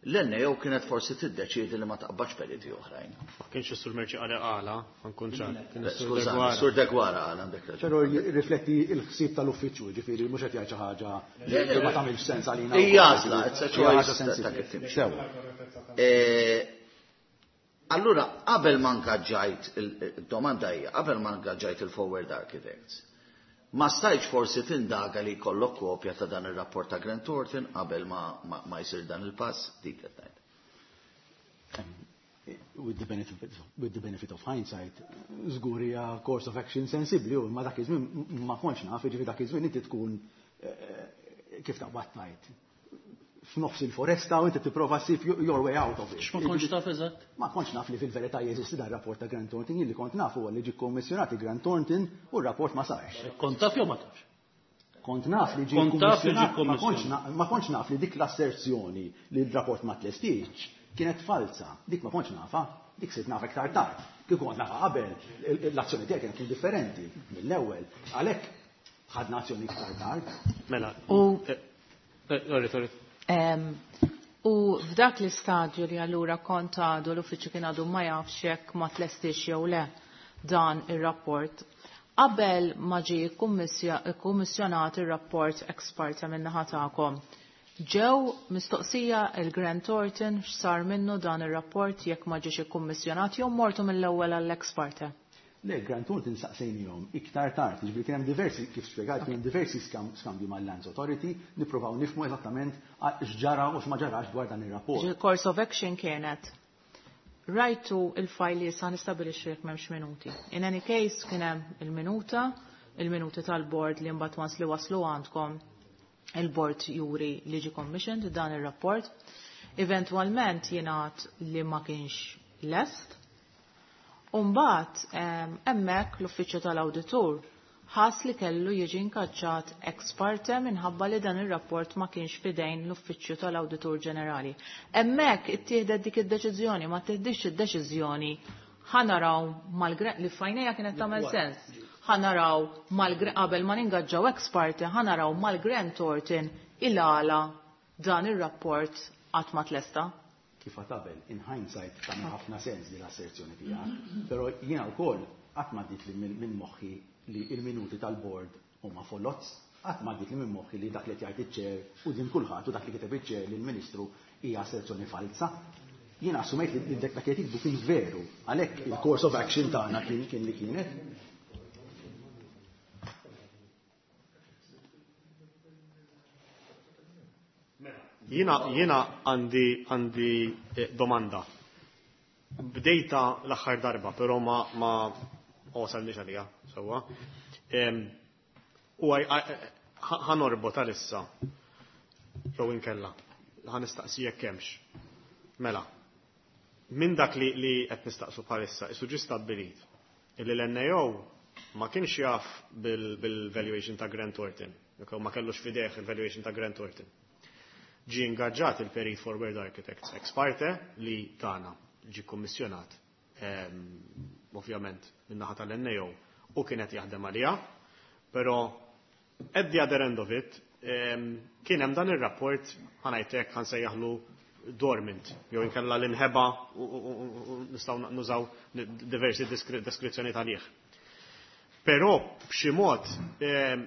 l-NAO kienet forsi tiddeċiedi li ma taqbadx periti oħrajn. Ma kienx is-Sur Merċi qal qala, ħankun ċar. Kien is-Sur Skużani, Degwara. Sur Degwara għal għandek raġun. Però rifletti l-ħsieb tal-uffiċċju, ġifieri mhux qed jgħid xi ħaġa li ma tagħmilx sens għalina. Hija għażla, it's a Hija ħaġa choice ta' sensibbli. kif timxi. Sewwa. Allura, qabel ma ngaġġajt, il-domanda hija, qabel ma ngaġġajt il-Forward Architects, ma stajtx forsi tindaga li jkollok kopja ta' dan ir-rapport ta' Grant Thornton qabel ma jsir dan il-pass, dik qed ngħid. With the benefit of hindsight, żgur hija course of action sensibbli u ma dak iż-żmien ma kontx naf, jiġifieri dak iż-żmien inti tkun kif taqbad tgħid. f'nofs il-foresta u inti tipprova ssib your way out of it. X'ma kontx taf eżatt? Ma kontx naf li fil-verità jeżisti dan rapport ta' Grant Thornton, jien li kont naf huwa li ġie kkommissjonati Grant Thornton u r-rapport ma sarx. Kont taf jew ma tafx? Kont naf li ġie kkommissjonat, ma kontx naf li dik l-asserzjoni li r-rapport ma tlestiex kienet falza. Dik ma kontx nafha, dik sirt nafha iktar tard. Kieku kont nafha qabel, l-azzjoni tiegħi kienet tkun differenti mill-ewwel. Għalhekk ħadna azzjoni iktar tard. Mela. U Sorry, sorry. U f'dak l-istadju li allura kont għadu l-uffiċċju kien għadu ma jafx jekk ma tlestix jew le dan ir-rapport, qabel ma ġie kkummissjonat ir-rapport ex parte min-naħa tagħkom, ġew mistoqsija il-Grant Thornton x'sar minnu dan ir-rapport jekk ma ġiex ikkummissjonat jew mortu mill-ewwel għall-ex parte? Le, Grant Thornton saqsejnihom iktar tard, jiġifieri kien hemm diversi, kif spjegajt, kien hemm diversi skambji mal-Lands Authority, nippruvaw nifhmu eżattament x'ġara u x'ma ġarax dwar dan ir-rapport. Il-course of action kienet rajtu il-fajl li issa nistabilixxu jekk m'hemmx minuti. In any case kien hemm il-minuta, il-minuti tal-board li mbagħad once li waslu għandkom il-board juri li ġie commissioned dan ir-rapport. Eventwalment jingħad li ma kienx lest. U mbagħad hemmhekk l-uffiċċju tal-awditur ħass li kellu jiġi inkaġġat ex parte minħabba li dan ir-rapport ma kienx fidejn l-uffiċċju tal-Awditur Ġenerali. Hemmhekk ittieħdet dik id-deċiżjoni, ma tieħdix id-deċiżjoni ħa naraw mal li f'għajnejja kienet tagħmel sens. Ħa naraw mal qabel ma ningaġġaw ex parte, ħa naraw mal-Grant Thornton il-għala dan ir-rapport qatt ma tlesta. Kif qabel, in hindsight tagħmel ħafna sens li l-asserzjoni tiegħek, però jiena wkoll qatt ma li minn moħħi li il-minuti tal-board huma foloz, qatt ma li minn moħħi li dak li jgħid iċ-chair u din kulħadd u dak li kiteb iċ-chair lill-Ministru hija asserzjoni falsa. Jiena assumejt li dak li qed jikbu kien veru, għalhekk il-course of action tagħna kien li kienet. Jiena għandi domanda. Bdejta l-aħħar darba, però ma wasalniex għalija, sewwa. U ħa norbot għalissa, jew inkella, ħa nistaqsi jekk hemmx. Mela, minn dak li qed nistaqsu bħalissa, isu ġie stabbilit illi l-NAO ma kienx jaf bil-valuation ta' Grant Thornton, jew ma kellux fideh il-valuation ta' Grant Thornton. Ġie ingaġġat il-Perit Forward Architects ex parte li tana ġie kommissjonat ovvjament min-naħa tal-NAO u kienet jaħdem għalija, però at the other end of it kien hemm dan ir-rapport ħa ngħidlek ħa nsejjaħlu dormant, jew inkella l-inħeba u nistgħu nużaw diversi deskrizzjoni għalih. Però b'xi mod,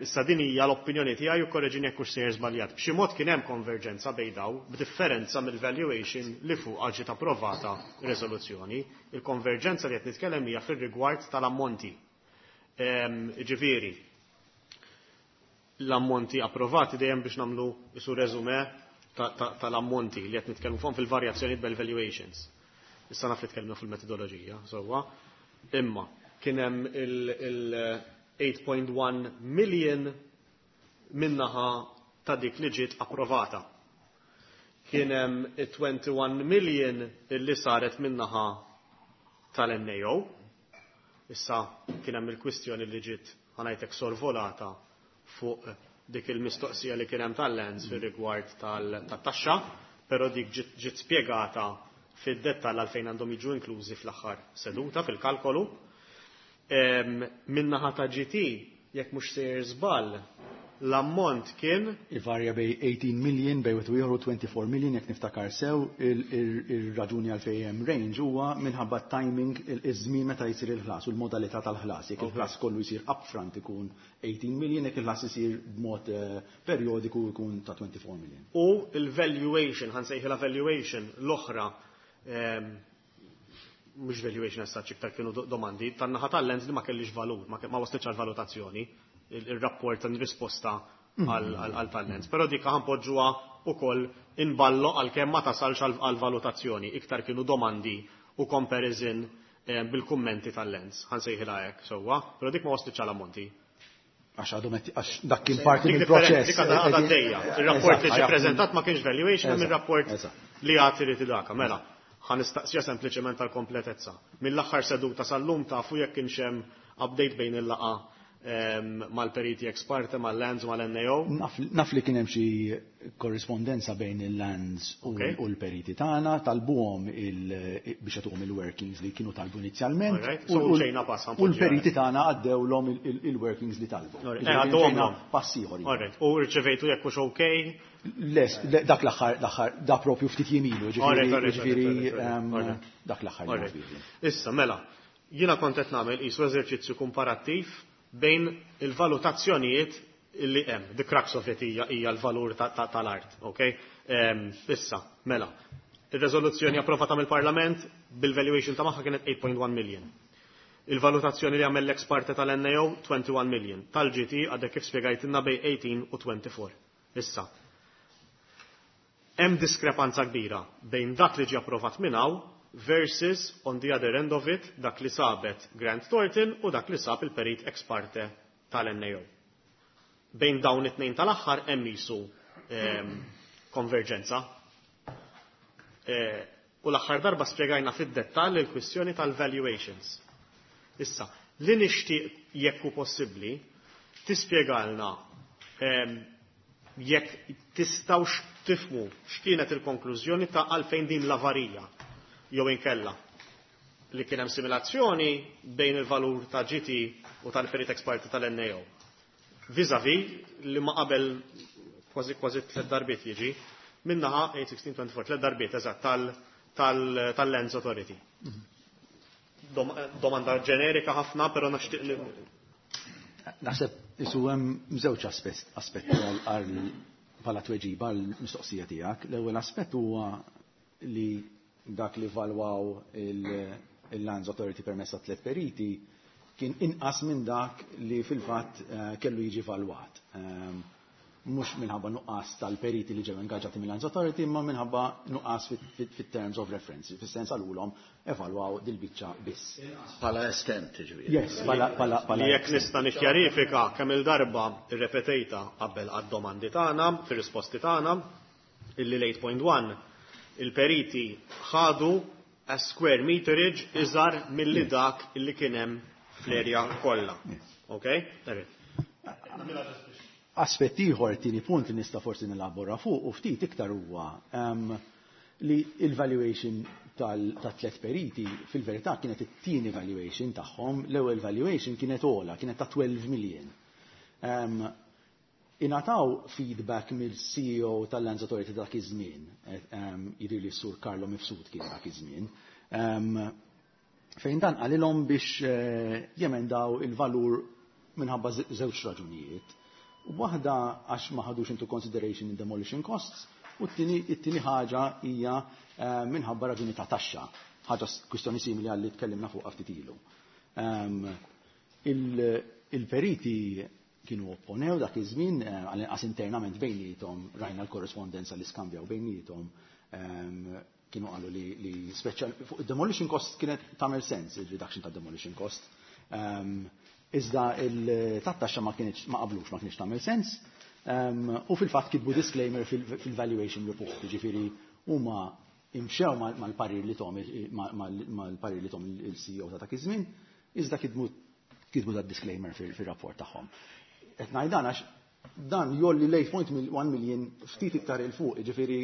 issa din hija l-opinjoni tiegħi u korreġini jekk hux sejjer żbaljat, b'xi mod kien hemm konverġenza bejn daw b'differenza mill-valuation li fuq ġiet approvata riżoluzzjoni. Il-konverġenza li qed nitkellem hija fir-rigward tal-ammonti. Ġifieri, l-ammonti approvati dejjem biex nagħmlu isu resume tal-ammonti li qed nitkellmu fuqhom fil-varjazzjoni bil-valuations. Issa naf li tkellmu fil-metodoloġija, sewwa. Imma kien hemm il-8.1 million minnaħa ta' dik li ġiet approvata. Kien hemm 21 million illi saret minnaħa tal-NAO. Issa kien hemm il-kwistjoni li ġiet ħa ngħidlek sorvolata fuq dik il-mistoqsija li kien hemm tal-Lands fir-rigward tat-taxxa, però dik ġiet spjegata fid-dettall għalfejn għandhom jiġu inklużi fl-aħħar seduta fil-kalkolu. Minnaħa ta' GT, jekk mhux sejjer żball, l-ammont kien Ivarja bejn 18 million bejn wieħed u ieħor u 24 million jekk niftakar sew ir-raġuni għalfejn hemm range huwa minħabba timing iż-żmien meta jsir il-ħlas u l-modalità tal-ħlas. Jekk il-ħlas kollu jsir upfront ikun 18 million, jekk il-ħlas isir b'mod periodiku jkun ta' 24 million. U il-valuation, ħa nsejħilha valuation l-oħra, mhux valuation as such iktar kienu domandi, tan-naħa tal-Lands li ma kellix valur, ma waslitx għal valutazzjoni, il-rapport tan risposta għal tal-Lands. Però dik ħa npoġġuha ukoll inballo għalkemm ma tasalx għal valutazzjoni, iktar kienu domandi u comparison bil-kummenti tal-Lands, ħa nsejħilha hekk sewwa, però dik ma waslitx għal ammonti. Għax għadhom għax dak kien parti Dik mill-proċess. Dik għadha għaddejja. Ir-rapport li ġie preżentat ma kienx valuation, hemm ir-rapport li għad irid idaka. Mela, ħa nistaqsija sempliċement tal-kompletezza. Mill-aħħar seduta sal-lum tafu jekk kienx hemm update bejn il-laqgħa mal-periti ex parte, mal-Lands u mal-NAO? Naf li kien hemm xi korrispondenza bejn il-Lands u l-periti tagħna, talbuhom biex jagħtuhom il-workings li kienu talbu inizjalment. Alright, so ġejna pass, U l-periti tagħna għaddewlhom il-workings li talbu. Alright, Ġifieri għaddewhom ġejna l-om. pass ieħor. Alright, u rċevejtu jekk hux okay? Les, dak l-aħħar, l-aħħar, da propju ftit jemilu, Alright, alright, ġifieri alright, alright, alright. dak l-aħħar li Alright. naf bihi. Issa, mela, jiena kont qed nagħmel qisu eżerċizzju komparattiv bejn il-valutazzjonijiet illi hemm. The crux of it hija l-valur tal-art, okay? Issa, mela, ir-reżoluzzjoni approvata mill-Parlament bil-valuation ta' magħha kienet 8.1 million. Il-valutazzjoni li għamel l-ex parte tal-NAO 21 million. Tal-GT għadek kif spjegajtilna bejn 18 u 24. Issa, hemm diskrepanza kbira bejn dak li ġie approvat minn hawn versus on the other end of it dak li sabet Grant Thornton u dak li sab il-perit ex parte tal-NAO. Bejn dawn it-tnejn tal-aħħar hemm jisu konverġenza. U l-aħħar darba spjegajna fid-dettall il-kwistjoni tal-valuations. Issa, li nixtieq jekk hu possibbli tispjegalna jekk tistgħux tifhmu x'kienet il-konklużjoni ta' għalfejn din l-avarija jew inkella li kien hemm simulazzjoni bejn il-valur ta' GT u tal-perit ex parte tal-NAO. Vis-a-vis li ma qabel kważi kważi tliet darbiet jiġi minnaħa 8, 16, 24, tliet darbiet eżatt tal-Lands Authority. Domanda ġenerika ħafna, però nixtieq li Naħseb isu hemm żewġ aspetti għal bħala tweġiba għall-mistoqsija tiegħek. L-ewwel aspett huwa li dak li valwaw il-Lands Authority permezz ta' tliet periti kien inqas minn dak li fil-fatt kellu jiġi valwat. Mhux minħabba nuqqas tal-periti li ġew ingaġġati mill-Lands Authority, imma minħabba nuqqas fit-terms of reference, fis-sens għalulhom evalwaw dil-biċċa biss. Bħala estent, ġifieri. Yes, bħala Li jekk estent. nista' nikkjarifika kemm il-darba irrepetejta qabel għad-domandi tagħna, fir-risposti tagħna, illi l-8.1 il-periti ħadu a square meterage iżgħar milli dak illi kien hemm fl-erja kollha. Okay? Alright. Aspett ieħor, tieni punt li nista' forsi nilabora fuq u ftit iktar huwa li il-valuation ta' tliet periti fil-verità kienet it-tieni valuation tagħhom, l-ewwel valuation kienet ogħla, kienet ta' 12 million. Ingħataw feedback mill-CEO tal-Lands Authority dak iż-żmien, jidhir li s-sur Carlo Mifsud kien dak iż-żmien, fejn dan qalilhom biex jemendaw il-valur minħabba żewġ raġunijiet. Waħda għax ma ħadux into consideration in demolition costs, u t-tieni ħaġa hija minħabba raġuni ta' taxxa, ħaġa kwistjoni simili għal li tkellimna fuq ftit ilu. Il-periti kienu opponew dak iż-żmien, għal-inqas internament bejniethom, rajna l-korrespondenza li skambjaw bejniethom, kienu qalu li speċjal fuq demolition cost kienet tagħmel sens il-reduction ta' demolition cost. Iżda il-taxxa ma kienx, ma qablux, ma kienx tagħmel sens. U fil-fatt kitbu disclaimer fil-valuation report, ġifieri huma imxew mal-parir li tom mal-parir li tom il-CEO ta' dak iż-żmien, iżda kitbu da disclaimer fil-rapport tagħhom. Qed ngħid dan għax dan jgħolli l-8.1 million ftit iktar 'il fuq, ġifieri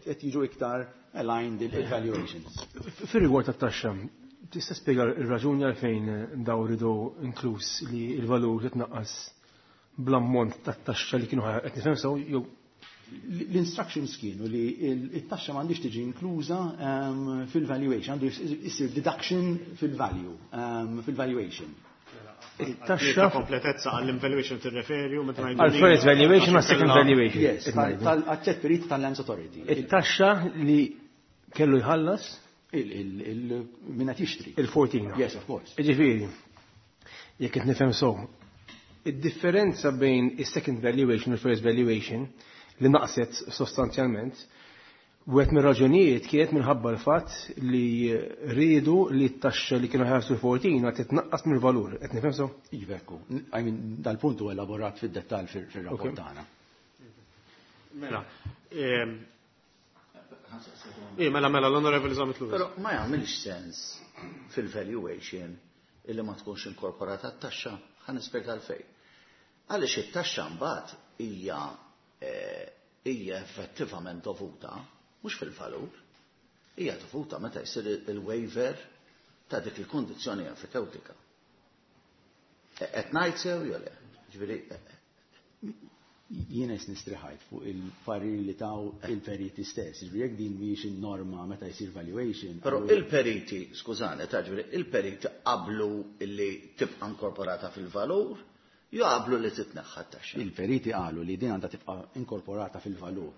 qed jiġu iktar aligned il-valuations. Fir-rigward tat-taxxa, tista' spjega r-raġuni għalfejn daw ridu inkluż li l-valur titnaqqas bl-ammont tat-taxxa li kienu qed nifhem sew jew L-instructions kienu li it-taxxa m'għandix tiġi inkluża fil-valuation, għandu jsir deduction fil-value, fil-valuation. Il-taxxa kompletezza għall-valuation tirreferi u meta ngħidu Għal first valuation ma second valuation. Yes, tal-tliet periti tal-Lands Authority. Il-taxxa li kellu jħallas Minna tixtri. Il-14. Yes, of course. Ġifieri, jekk qed nifhem so, id-differenza bejn is-second valuation u l-first valuation li naqset sostanzjalment, Wieħed mir-raġunijiet kienet minħabba l-fatt li riedu li t-taxxa li kienu ħarsu l-Fortina titnaqqas mill-valur. Qed nifhem sew? Iva, ekku. I mean, dal-punt huwa elaborat fid-dettall fir-rapport tagħna. Mela, mela, l-Onorevoli Zammit Lewis. Però ma jagħmilx sens fil-valuation illi ma tkunx inkorporata t-taxxa, ħa nispjega għalfejn. Għaliex it-taxxa mbagħad hija effettivament dovuta mhux fil-valur, hija dovuta meta jsir il-waiver ta' dik il-kondizzjoni enfitewtika. Qed ngħid sew jew le? Ġifieri Jiena nistriħajt fuq il-parir li taw il-periti stess. Ġifieri jekk din mhijiex in-norma meta jsir valuation. Però il-periti, skużani, ta' ġifieri il-periti qablu li tibqa' inkorporata fil-valur, jew qablu li titneħħa t-taxxa? Il-periti qalu li din għandha tibqa' inkorporata fil-valur.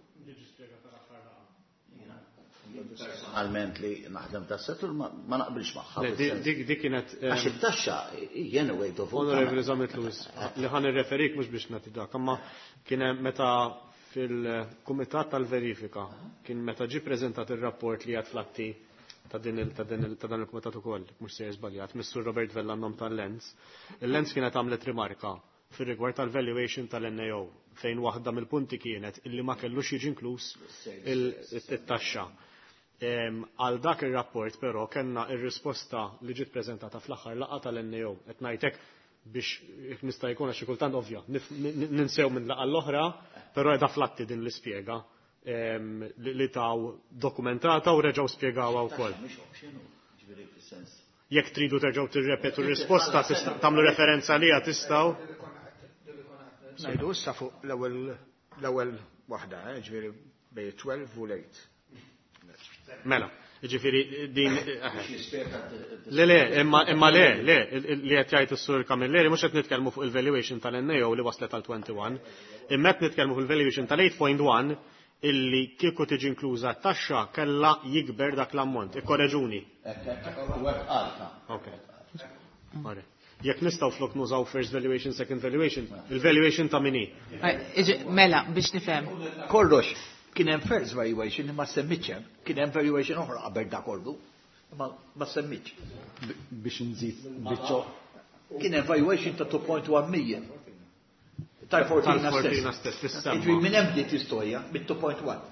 Personalment li naħdem ta' settur ma naqbilx magħha. Le, dik kienet, Għax it-taxxa hija anyway dovuta. Onorevoli Zammit Lewis, li ħan irreferik mhux biex nagħti dak, imma kien hemm meta fil-Kumitat tal-Verifika kien meta ġie preżentat ir-rapport li għad flatti ta' din il, ta' din il, ta' dan il-kumitat ukoll, mhux se żbaljat, Mr. Robert Vella nom tal-Lens. Il-Lens kienet għamlet rimarka fir-rigward tal-valuation tal-NAO fejn waħda mill-punti kienet illi ma kellux jiġi inkluż it-taxxa. Għal dak ir-rapport però kellna ir-risposta li ġiet preżentata fl-aħħar laqgħa tal-NAO. Qed ngħidlek biex jekk nista' jkun għax xi kultant ovvja, ninsew minn laqgħa l-oħra, però qiegħda flatti din l-ispjega li taw dokumentata u reġgħu spjegawha wkoll. Jekk tridu terġgħu tirrepetu r-risposta, tagħmlu referenza għaliha tistgħu. Ngħidu issa fuq l-ewwel waħda, ġifieri bej 12 u l-8. Mela, ġifieri din, Le, le, imma le, le, li qed jgħid is-Sur Camilleri mhux qed nitkellmu fuq il-valuation tal-NAO li waslet għal 21, imma qed nitkellmu fuq il-valuation tal-8.1 illi kieku tiġi inkluża t-taxxa kellha jikber dak l-ammont. Ikkoreġuni. Ok. Mare. Jekk nistgħu flok nużaw first valuation, second valuation, il-valuation ta' min hi? Mela, biex nifhem. Kollox, kien hemm first valuation li ma semmitx hemm, kien hemm valuation oħra qabel da kollu, ma semmitx. Biex nżid biċċo. Kien hemm valuation ta' 2.1 million. Tal-Fortina Tal-Fortina stess. stess, tissemma. Ġifieri minn hemm bdiet l-istorja, mit-2.1.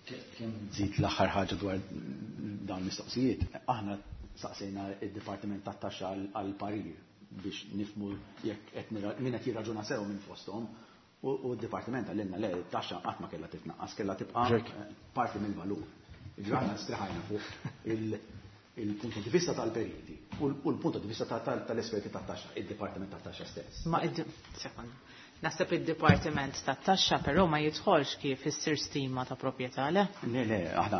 Kemm nżid l-aħħar ħaġa dwar dawn l-mistoqsijiet, aħna saqsejna id-Dipartiment tat-Taxxa għal parir biex nifmu jekk qed min qed jirraġuna sew minn fosthom. U d-Dipartiment għalilna le, it-taxxa qatt ma kellha titnaqqas, kellha tibqa' parti mill-valur. Ġifieri aħna striħajna fuq il-punt di vista tal-periti u l-punt di vista tal-esperti tat-taxxa, id-Dipartiment tat-Taxxa stess. Ma sekonda. Naħseb id-Dipartiment tat-Taxxa però ma jidħolx kif issir stima ta' proprjetà, le? Le, le, aħna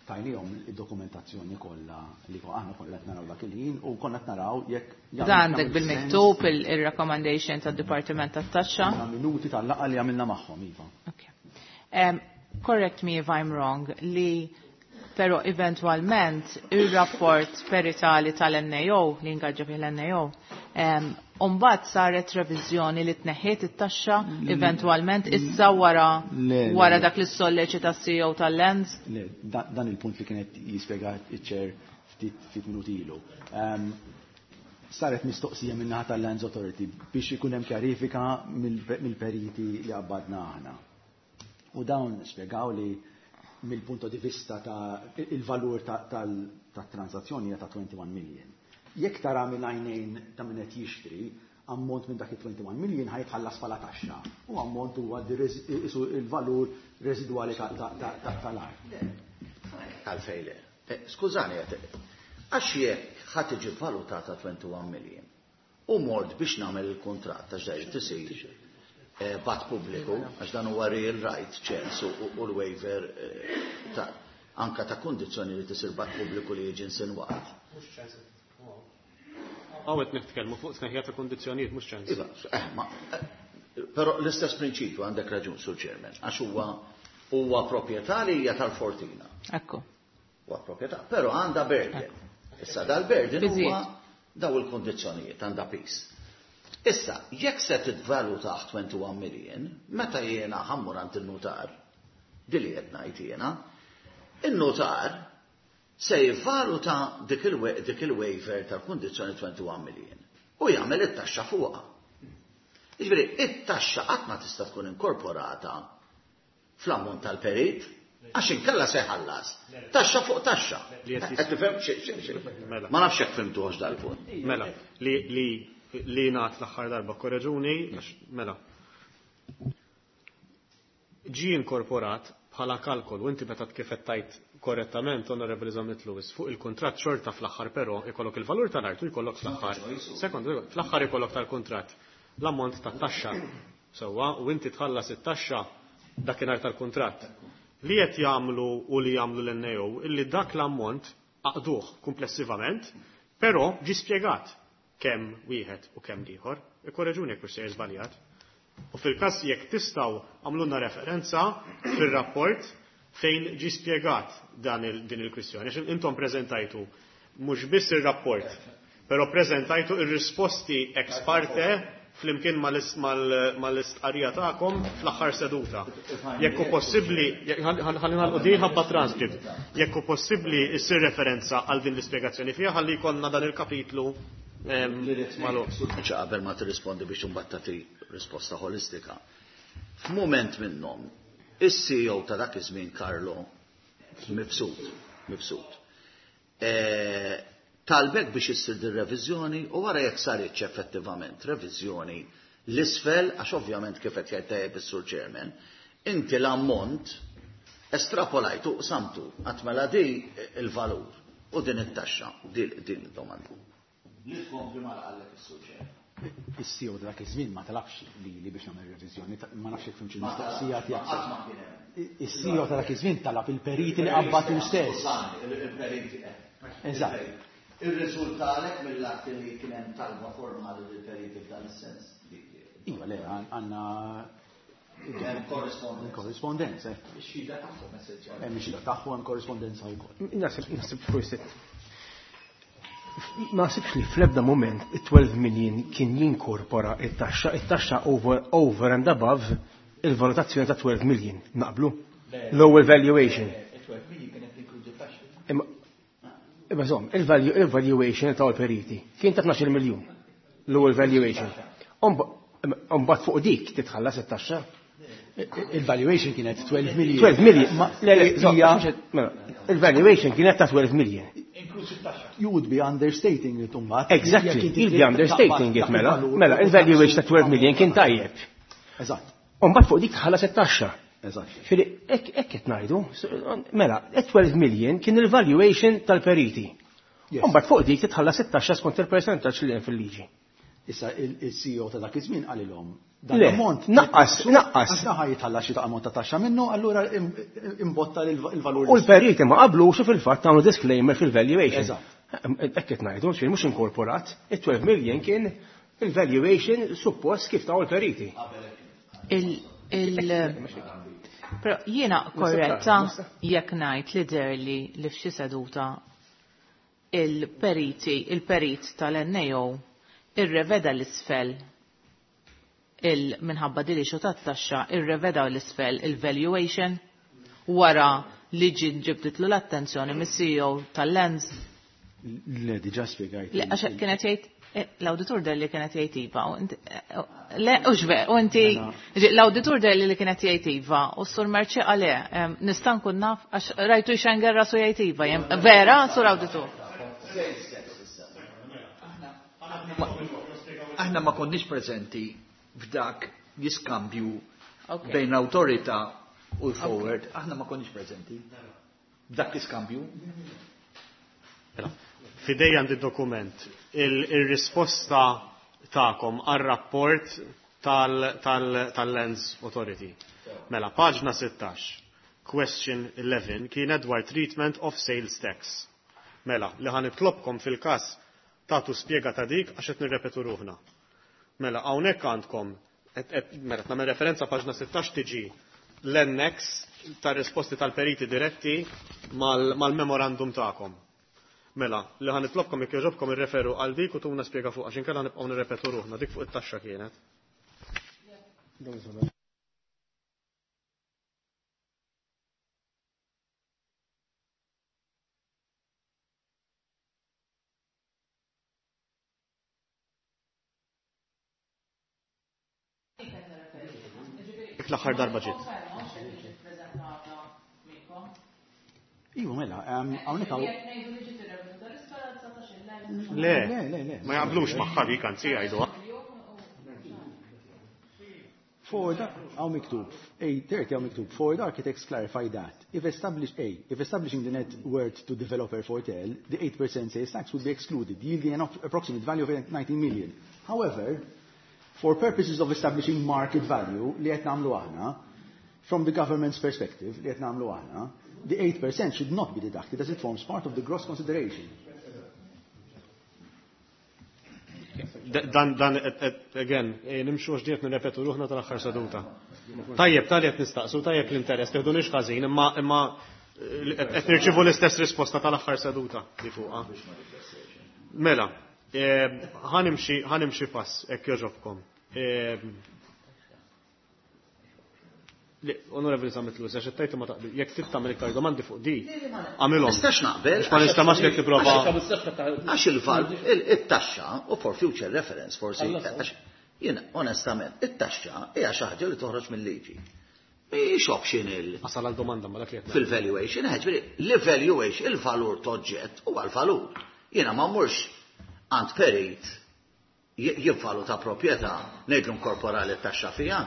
tajnihom id-dokumentazzjoni kollha li aħna kollha qed naraw dak il-ħin u konna qed naraw jekk jagħmel Da għandek sens. bil-miktub il-recommendation tad-Dipartiment tat-Taxxa? Għandna minuti tal-laqgħa li għamilna magħhom, iva. Okay. Correct me if I'm wrong, li però eventualment il-rapport peritali tal-NAO, li ingaġġa fih l-NAO, Umbagħad saret reviżjoni li tneħħiet it-taxxa eventualment issa Le, le, wara le. dak li solleċita CEO tal-Lands? Le, dan il-punt li kienet jispjega iċ-ċer ftit minuti ilu. Saret mistoqsija min-naħa tal-Lands Authority biex ikun hemm kjarifika mill-periti li qabbadna aħna. U dawn spjegaw li mill-punto di vista ta' il-valur ta' transazzjoni hija ta' 21 million. Jekk tara minn għajnejn ta' min qed jixtri, ammont minn dak il-21 million ħa jitħallas bħala taxxa. U ammont huwa isu il-valur residwali tal-art. Għalfejn le. Skużani, għax jekk ħa tiġi valutata 21 million u mort biex nagħmel il-kuntratt għax da tisir b'att pubbliku, għax dan huwa real right ċens u l-waiver ta' anka ta' kondizzjoni li tisir b'att pubbliku li jiġi insinwat. Hawn nitkellmu fuq tneħħija ta' kondizzjonijiet mhux ċens. Iva, ma, però l-istess prinċipju għandek raġun, Sur Chairman, għax huwa proprjetà li hija tal-Fortina. Ekku. Huwa proprjetà, però għandha burden. Issa dal-burden huwa Biżiet. daw il-kondizzjonijiet għandha piż. Issa, jekk se titvaluta 21 million, meta jiena ħa mmur għand il-nutar, dili qed ngħid jiena, In-notar se jivvaluta dik il-waiver tal-kundizzjoni 21 million u jagħmel it-taxxa fuqha. Jiġifieri it-taxxa qatt ma tista' tkun inkorporata fl-ammont tal-perit għax inkella se jħallas. Taxxa fuq taxxa. Qed tifhem Mela. Ma nafx jekk fimtuhx dal-punt. Mela, li li li ngħad l-aħħar darba korreġuni, għax mela. Ġie inkorporat bħala kalkolu, inti meta kif qed tajt korrettament, Onorevoli Zammit Lewis, fuq il-kuntratt xorta fl-aħħar però ikollok il-valur tal-art u jkollok fl-aħħar. Sekond, fl-aħħar ikollok tal-kuntratt l-ammont tat-taxxa. Sewwa, u inti tħallas it-taxxa dakinhar tal-kuntratt. Li qed jagħmlu u li jagħmlu l-NAO illi dak l-ammont għaqduh komplessivament, però ġie spjegat kemm wieħed u kemm ieħor. Ikkoreġuni jekk sejjer żbaljat. U fil-każ jekk tistgħu għamlulna referenza fir-rapport fejn ġie spjegat dan il, din il-kwistjoni. Għax intom preżentajtu mhux biss ir-rapport, però preżentajtu ir-risposti ex parte flimkien mal-istqarrija tagħkom fl-aħħar seduta. Jekk hu possibbli, ħalli nagħlqu din ħabba transcript. Jekk hu possibbli issir referenza għal din l-ispjegazzjoni fiha ħalli jkollna dan il-kapitlu magħluq. Ċa qabel ma tirrispondi biex imbagħad tagħti risposta ħolistika. F'mument minnhom, is-CEO ta' dak iż-żmien Carlo Mifsud, Mifsud. Talbek biex issir din reviżjoni u wara jekk saritx effettivament reviżjoni l-isfel, għax ovvjament kif qed jgħid tajjeb is-Sur Chairman, inti l-ammont estrapolajtu qsamtu għat mela di il-valur u din it-taxxa, din id-domanda. Li tkompli ma qallek is-Sur Chairman. Is-CEO dak iż-żmien ma talabx li biex nagħmel reviżjoni, ma nafx jekk fimx il-mistoqsija tiegħek. Is-CEO ta' dak iż-żmien talab il-periti li qabbatu stess. Il-periti. Eżatt. Ir-riżultalek mill-att li kien hemm talba formali lill-periti f'dan is-sens. Iva, le, għandna Hemm korrispondenza. Korrispondenza. Ix-xhieda tagħhom essenzjalment. Hemm ix-xhieda tagħhom hemm korrispondenza wkoll. Naħseb forsi ma naħsibx li fl-ebda moment it-12 million kien jinkorpora it-taxxa, it-taxxa over and above il-valutazzjoni ta' 12 million, naqblu? L-ewwel valuation. Il-12 million kienet tinkludi taxxa. Imma żomm, il-valuation ta' periti kien ta' 12 miljun. L-ewwel valuation. Imbagħad fuq dik titħallas it-taxxa. Il-valuation kienet 12 million. 12 million. Mela, il-valuation kienet ta' 12 million. You would be understating it imbagħad. Exactly, you'd be understating it mela. Mela, il-valuation ta' 12 million kien tajjeb. Eżatt. Imbagħad fuq dik tħallas it-taxxa. Eżatt. Fili, hekk qed ngħidu, mela, 12 million kien il-valuation tal-periti. Imbagħad fuq dik titħallas it-taxxa skont il-percentaġġ li hemm fil-liġi. Issa il-CEO ta' dak iż-żmien qalilhom dan Le, l-ammont naqqas, naqqas. Għax daħ jitħallas xi ammont ta' taxxa minnu, allura imbotta il-valur. U l-periti ma qablux u fil-fatt għamlu disclaimer fil-valuation. Eżatt. Hekk qed ngħidu, xejn mhux inkorporat, it-12 million kien il-valuation suppost kif taw il-periti. Però jiena korretta jekk ngħid li derli li f'xi seduta il-periti, il-perit tal-NAO irreveda l-isfel il-minħabba dili xu tat-taxxa irreveda l-isfel il-valuation wara li ġi ġibditlu l-attenzjoni mis-CEO tal-Lens. Le, diġà spjegajt. Le, għax kienet jgħid l-awditur delli kienet jgħid iva, u inti, le, u xve, u inti, l-awditur delli li kienet jgħid iva, u s-sur Merċi għale, nista' nkun naf, għax rajtu xenger rasu jgħid iva, vera, sur awditur? Aħna ma konniex preżenti f'dak l-iskambju bejn l-awtorità u l-forward, aħna ma konniex preżenti f'dak l-iskambju. Fidej għandi dokument, il-risposta tagħkom għar-rapport tal-Lands Authority. Mela, paġna 16, question 11, kienet dwar treatment of sales tax. Mela, li ħan nitlobkom fil-kas tagħtu spjega ta' dik għax qed nirrepetu ruħna. Mela, hawnhekk għandkom, mela, nagħmel referenza paġna 16 tiġi l-annex ta' risposti tal-periti diretti mal-memorandum tagħkom. Mela, li ħan nitlobkom jekk jogħġobkom irreferu għal dik u tuna spjega fuq għax inkella nibqgħu nirrepetu ruħna dik fuq it-taxxa kienet. L-aħħar darba ġiet. Iva, mela, hawnhekk hawn. Le, ma jaqblux magħha dik anzi jgħiduha. Ford, hawn miktub, A30 hawn miktub, Ford architects clarify that if establish A, if establishing the net worth to developer Fortel, the 8% sales tax would be excluded, yielding an approximate value of 19 million. However, for purposes of establishing market value, li qed nagħmlu aħna, from the government's perspective, li qed nagħmlu aħna, the 8% should not be deducted as it forms part of the gross consideration. Dan, dan, again, nimxu għax diet nirrepetu ruħna tal-aħħar seduta. Tajjeb, tali qed nistaqsu, tajjeb l-interess, teħdunix ħażin, imma imma qed nirċivu l-istess risposta tal-aħħar seduta li fuqha. Mela, ħanimxi pass, hekk jogħġobkom. Onorevoli Zammit Lewis, għax tajtu ma taqbil, jekk trid tagħmel iktar domandi fuq di, għamilhom. Nistax naqbel. Ma nistamax li tipprova. Għax il-val, it-taxxa, u for future reference, forsi, għax jiena onestament, it-taxxa hija xi ħaġa li toħroġ mill-liġi. Mhijiex optional. Asal għal domanda ma dak li qed Fil-valuation, ġifieri, l-valuation, il-valur toġġett huwa l-valur. Jiena ma mmurx għand perit jivvaluta proprjetà ngħidlu inkorporali t-taxxa fiha.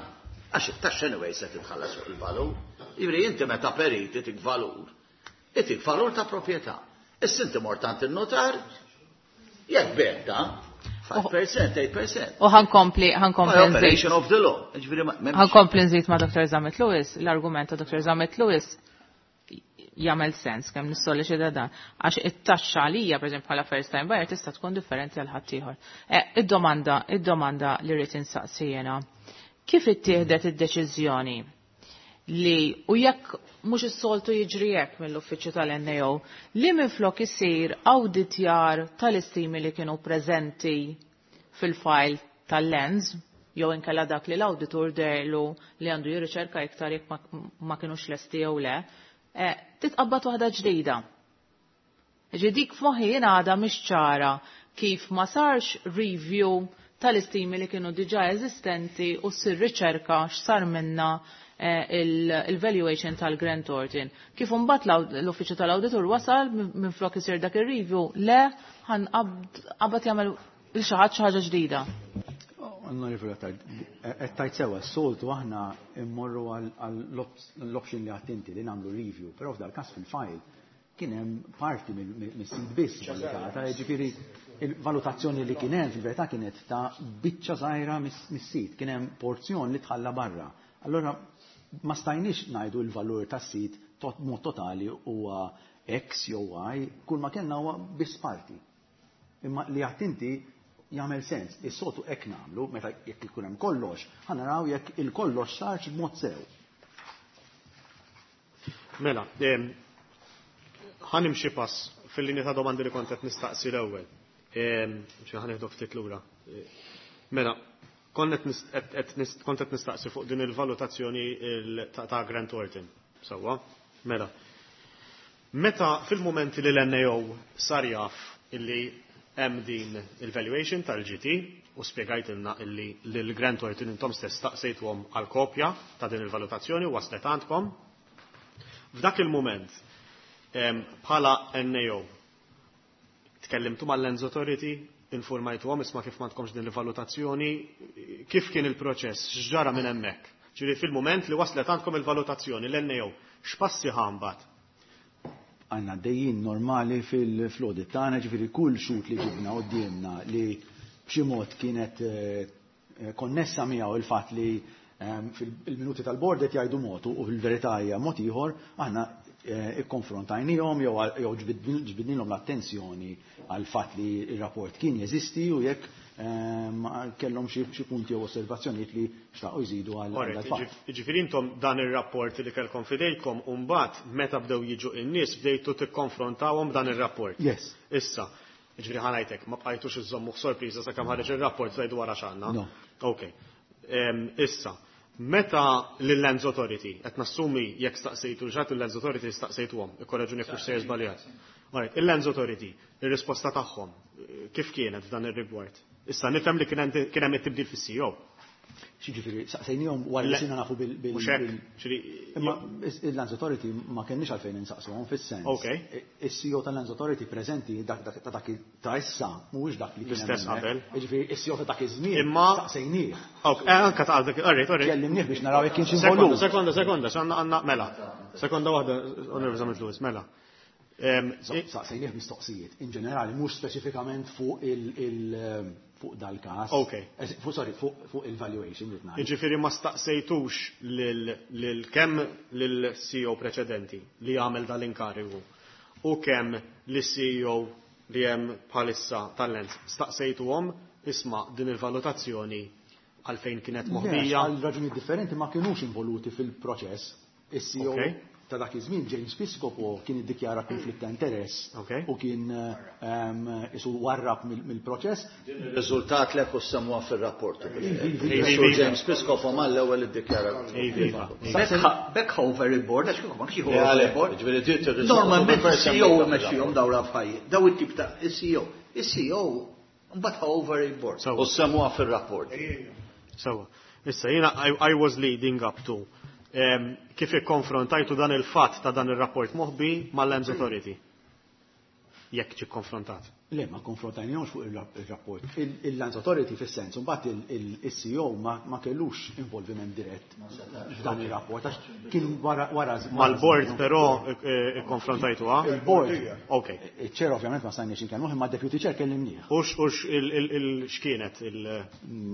Għax it-taxxa anyway se titħallas fuq il-valur. Jiġifieri inti meta perit itik valur, itik valur ta' proprjetà. Issa inti mort għand in-notar, jekk beta, 5%, 8%. U ħankompli, ħankompli nżid. Operation of the law. Ġifieri m'hemmx- Ħankompli nżid ma' Dr. Zammit Lewis, l-argument ta' Dr. Zammit Lewis jagħmel sens kemm nissolleċita dan. Għax it-taxxa għalija, pereżempju bħala first time buyer, tista' tkun differenti għal ħaddieħor. Id-domanda li rrid insaqsi jiena. Kif ittieħdet id-deċiżjoni li u jekk mhux is-soltu jiġri hekk mill-uffiċċju tal-NAO li minflok isir awditjar tal-istimi li kienu preżenti fil-file tal-lens jew inkella dak li l-awditur derlu li għandu jirriċerka iktar jekk ma kinux lesti jew le, titqabbad waħda ġdida. Ġi dik f'moħħi jiena għadha mhix ċara kif ma sarx review tal-istimi li kienu diġà eżistenti u ssir riċerka x'sar minna il-valuation tal-Grant Thornton. Kif imbagħad l-uffiċċju tal-awditur wasal minflok isir dak ir-review, le ħanqabad jagħmel il xi ħadd xi ħaġa ġdida. Onorevoli Attard, qed tajt sewa, s-soltu aħna immorru għall-option li għattinti li nagħmlu review, però f'dal każ fil-file kien hemm parti mis-sit biss valutata, jiġifieri il-valutazzjoni li kien hemm fil-verità kienet ta' biċċa żgħira mis-sit, kien hemm porzjon li tħalla barra. Allora ma stajniex ngħidu l-valur tas-sit mod totali huwa X jew Y, kull ma kellna huwa biss parti. Imma li għattinti jagħmel sens. Is-soltu hekk nagħmlu meta jekk ikun hemm kollox, ħa naraw jekk il-kollox sarx b'mod sew. Mela, ħanimxi pass fil-linja ta' domandi li kont qed nistaqsi l-ewwel. Xi ħanieħdu ftit lura. Mela, kont qed nistaqsi fuq din il-valutazzjoni ta' Grant Thornton. Sewwa? Mela. Meta fil-mumenti li l-NAO sar jaf illi hemm din il-valuation tal-GT u spjegajtilna illi lil Grant Thornton intom stess staqsejtuhom għal kopja ta' din il-valutazzjoni u waslet għandkom. F'dak il-mument bħala NAO tkellimtu mal-Lands Authority, informajtuhom isma' kif m'għandkomx din il-valutazzjoni, kif kien il-proċess, x'ġara minn hemmhekk. Ġifieri fil-mument li waslet għandkom il-valutazzjoni l-NAO, x'passi ħa mbagħad? Għanna dejjin normali fil-audit tagħna, ġifieri kull xut li ġibna qudiemna li b'xi mod kienet konnessa miegħu il-fatt li fil-minuti tal-bord qed jgħidu mod u fil-verità hija mod ieħor, aħna ikkonfrontajnihom jew ġbidnilhom l-attenzjoni għal fatt li r-rapport kien jeżisti u jekk kellhom xi punti jew osservazzjonijiet li xtaqu jżidu għal dal-fatt. Ġifieri intom dan ir-rapport li kellkom fidejkom u mbagħad meta bdew jiġu in-nies bdejtu tikkonfrontawhom dan ir-rapport. Yes. Issa, ġifieri ħanajtek, ma bqajtux iżommu sorpriża sakemm ħareġ ir-rapport tgħidu wara x'għandna. No. Ok. Issa, meta lill-Lands Authority, qed nassumi jekk staqsejtu ġat il-Lands Authority staqsejtuhom, ikkoreġuni jekk mhux sejjer żbaljat. Alright, il-Lands Authority, ir-risposta tagħhom, kif kienet f'dan ir-rigward? Issa nifhem li kien hemm it-tibdil fis-CEO. Xiġifieri, saqsejnihom wara li sirna nafu bil- Mhux hekk, ġifieri Imma il-Lands Authority ma kenniex għalfejn insaqsuhom fis-sens. Is-CEO tal-Lands Authority preżenti dak ta' dak ta' issa mhuwiex dak li kien L-istess hemm qabel. hemmhekk. Jiġifieri is-CEO ta' dak iż-żmien staqsejnieh. Ok, anka ta' dak, alright, alright. Kellimnieh biex naraw jekk kienx Sekonda, involut. sekonda, sekonda, x'għandna għandna mela. Sekonda waħda, Onorevoli Zammit Lewis, mela. Saqsejnieh mistoqsijiet, in ġenerali, mhux speċifikament fuq il fuq dal-każ. Fuq, sorry, fuq il-valuation li tnajt. Jiġifieri ma staqsejtux lil kemm lil-CEO preċedenti li għamel dal-inkarigu u kemm lis-CEO li hemm bħalissa tal-Lands, staqsejtuhom isma' din il-valutazzjoni għalfejn kienet Le, moħbija? għal raġunijiet differenti ma kinux involuti fil-proċess. Is-CEO ta' dak iż-żmien James Piscopo kien iddikjara konflitt ta' interess u kien isu warrab mill-proċess. Ir-riżultat lek u semmuha fir-rapport. Iva, Sur James Piscopo mal-ewwel iddikjara. Iva, Bekk over il-board, għax kieku ma kienx Le, over għalek, il-board. ġifieri ġiet ir-riżultat Normalment u il-CEO semmejta mexxihom dawn l-affarijiet. Daw it-tip ta' il-CEO. Il-CEO mbagħad over il-board. U semmuha fir-rapport. Sewa. Issa jiena I was leading up to kif ikkonfrontajtu dan il-fatt ta' dan ir-rapport moħbi mal-Lands Authority. Jekk ġi konfrontat. Le, ma konfrontajnihomx fuq il-rapport. Il-Lands Authority fis-sens, mbagħad il-CEO ma kellux involviment dirett f'dan il-rapport, għax kien wara Mal-board però ikkonfrontajtuha? Il-board. Ok. Il-chair ovvjament ma stajniex inkellmuh, imma deputy chair kellimnieh. Ux x'kienet il-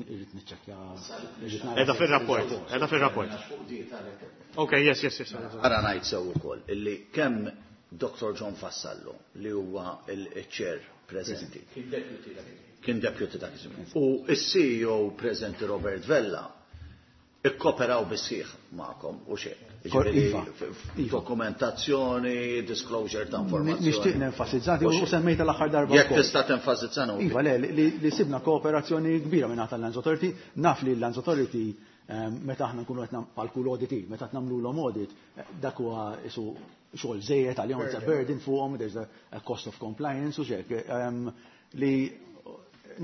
Irrid niċċekkja, irrid nara Edha fir-rapport, edha fir-rapport. Ok, yes, yes, yes. Ara ngħid sew ukoll illi kemm Dr. John Vassallo li huwa il-chair preżenti. Kien deputy dak iż-żmien. U s-CEO preżenti Robert Vella ikkoperaw bisħiħ magħkom u xejn. Jiġifieri Iva. Dokumentazzjoni, disclosure ta' informazzjoni. Nixtieq nenfasizzati U u xejn. semmejta l-aħħar darba Jekk wkoll. tista' tenfasizza nagħmlu. Iva, le, li sibna kooperazzjoni kbira minn tal-Lands Authority, naf li l-Lands Authority meta aħna nkunu qed bħal kull audit, meta qed nagħmluhom audit, dak huwa isu xogħol żejjed għalihom, it's a burden fuqhom, there's a cost of compliance u xek. Li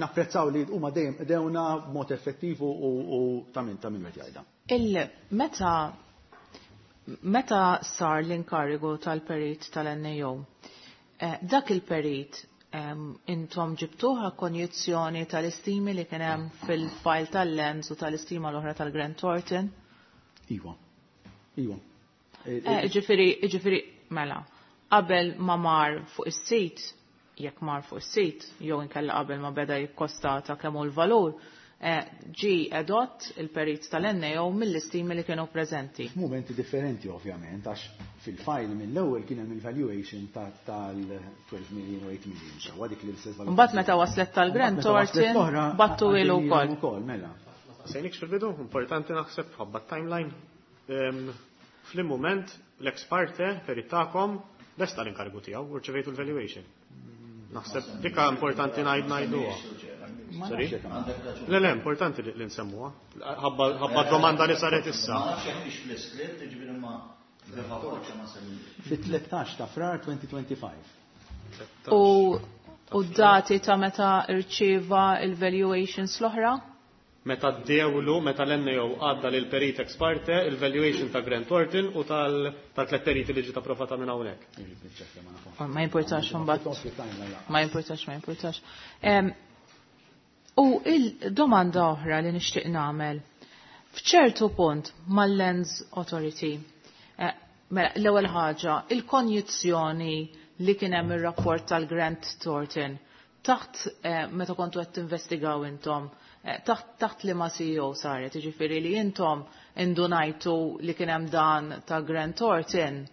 napprezzaw li huma dejjem dewna b'mod effettiv u ta' min qed jgħidha. Meta sar l-inkarigu tal-perit tal-NAO, dak il-perit intom ġibtuha konjizzjoni tal-istimi li kien hemm fil-file tal-Lands u tal-istima l-oħra tal-Grant Thornton? Iva. Iva. Ġifieri, mela, qabel ma mar fuq is-sit, jekk mar fuq is-sit, jew inkella qabel ma beda jikkostata kemm hu l-valur, ġi edott il-perit tal-NAO mill-istimi li kienu preżenti. F'mumenti differenti ovvjament, għax fil-file mill-ewwel kien hemm il-valuation tal-12 million u 8 million, sewwa dik li l-istess valutazzjoni. Mbagħad meta waslet tal-Grant Mbagħad meta waslet Thornton, l-oħra, battu ilu għaddejjin wkoll. ukoll, mela. Sejnik fil-bidu, importanti naħseb ħabba timeline. Fl-moment l-ex parte perit tagħkom lesta l-inkarigu tiegħu u rċevejtu l-valuation. Naħseb dika importanti ngħiduha. Ma Sorry? nafx jekk għandek. Le, le, importanti li nsemmuha. Ħabba domanda li saret issa. Ma nafx jekk hix fl-iskript, jiġifieri ma fil-rapport ma semmix. Fit-13 ta' Frar 2025. U d-dati ta' meta irċieva il-valuations l-oħra? Meta d-dewlu, meta l-NAO għadda lil perit ex parte, il-valuation ta' Grant Thornton u tal-tlet periti li ġiet approvata minn hawnhekk. Oh, ma importax mbagħad. Ma importax, ma importax. U il-domanda oħra li nixtieq nagħmel. F'ċertu punt mal-Lands Authority, mela, l-ewwel ħaġa, il-konjizzjoni li kien hemm ir-rapport tal-Grant Thornton taħt meta kontu qed tinvestigaw intom, taħt li ma CEO saret, jiġifieri li intom indunajtu li kien hemm dan ta' Grant Thornton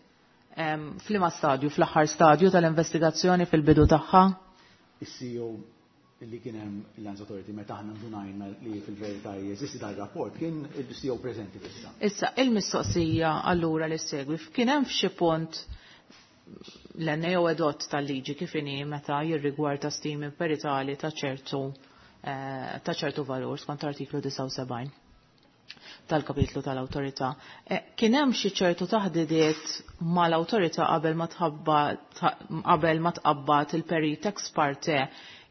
f'liema stadju, fl-aħħar stadju tal-investigazzjoni fil-bidu tagħha? Is-CEO li kien hemm il-Lands Authority meta aħna ndunajna li fil-verità jeżisti dan ir-rapport kien il-CEO preżenti issa. Issa, il-mistoqsija allura li segwi, kien hemm f'xi punt l-NAO edot tal-liġi kif inhi meta jirrigwarda stimi peritali ta' ċertu valur skont artiklu 79 tal-kapitlu tal-awtorità. Kien hemm xi ċertu taħdidiet mal-awtorità qabel ma tqabbad il-perit ex parte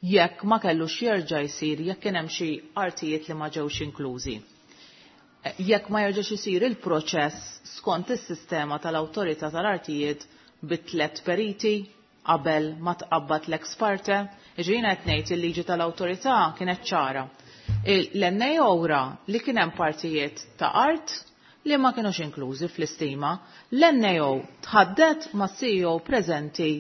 jekk ma kellux jerġa' jsir jekk kien hemm xi artijiet li ma ġewx inklużi. Jekk ma jerġax isir il-proċess skont is-sistema tal-awtorità tal-artijiet bi tliet periti qabel ma tqabbad l-ex parte, jiġifieri qed ngħid il-liġi tal-awtorità kienet ċara. L-NAO ra li kien hemm partijiet ta' art li ma kienux inklużi fl-istima, l-NAO tħaddet ma' CEO preżenti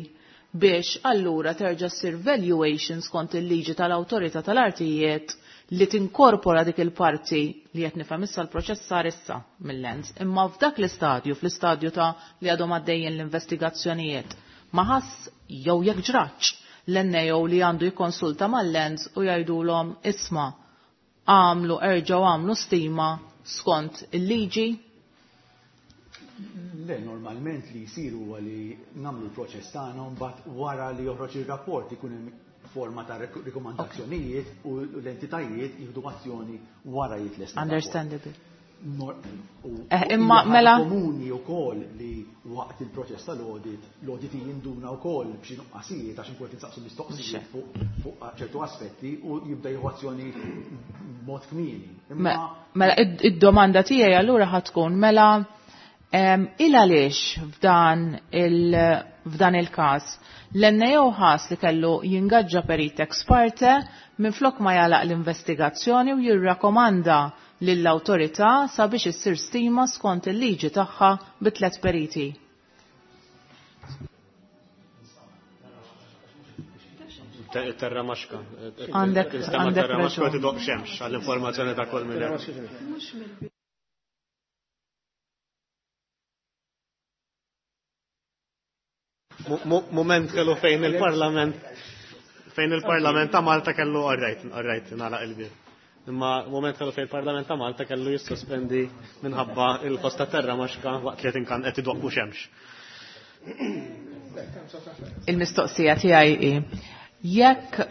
biex allura terġa' ssir valuation skont il-liġi tal-awtorità tal-artijiet li tinkorpora dik il-parti li qed nifhem issa l-proċess sar issa mill-lens. Imma f'dak l-istadju, fl-istadju ta' li għadhom għaddejjin l-investigazzjonijiet, ma ħass jew jekk ġraċ l-NAO li għandu jikkonsulta mal-lens u jgħidulhom isma' għamlu erġgħu għamlu stima skont il-liġi. Le, normalment li jisir huwa li nagħmlu l-proċess tagħna mbagħad wara li joħroġ ir-rapport ikun hemm forma ta' rikomandazzjonijiet u l-entitajiet jieħdu azzjoni wara jitlesta. Understandable. Imma mela komuni wkoll li waqt il-proċess tal-audit, l-audit jinduna wkoll b'xi nuqqasijiet għax inkun qed insaqsu mistoqsijiet fuq ċertu aspetti u jibda jieħu azzjoni b'mod kmieni. Mela id-domanda tiegħi allura ħa tkun mela il għaliex f'dan il-każ l-NAO ħass li kellu jingaġġa perit ex parte minflok ma jalaq l-investigazzjoni u jirrakkomanda lill-awtorità sabiex issir stima skont il-liġi tagħha bi tliet periti. Terra maxka. Għandek terra maxka tidoq xemx għall-informazzjoni ta' kull minn. Moment kellu fejn il-Parlament ta' Malta kellu għarrajt, nagħlaq il-bir. Imma moment kellu fejn il-Parlament ta' Malta kellu jissospendi minħabba il-kosta terra maxka waqt li tinkan qed idoqqu xemx. Il-mistoqsija tiegħi hi jekk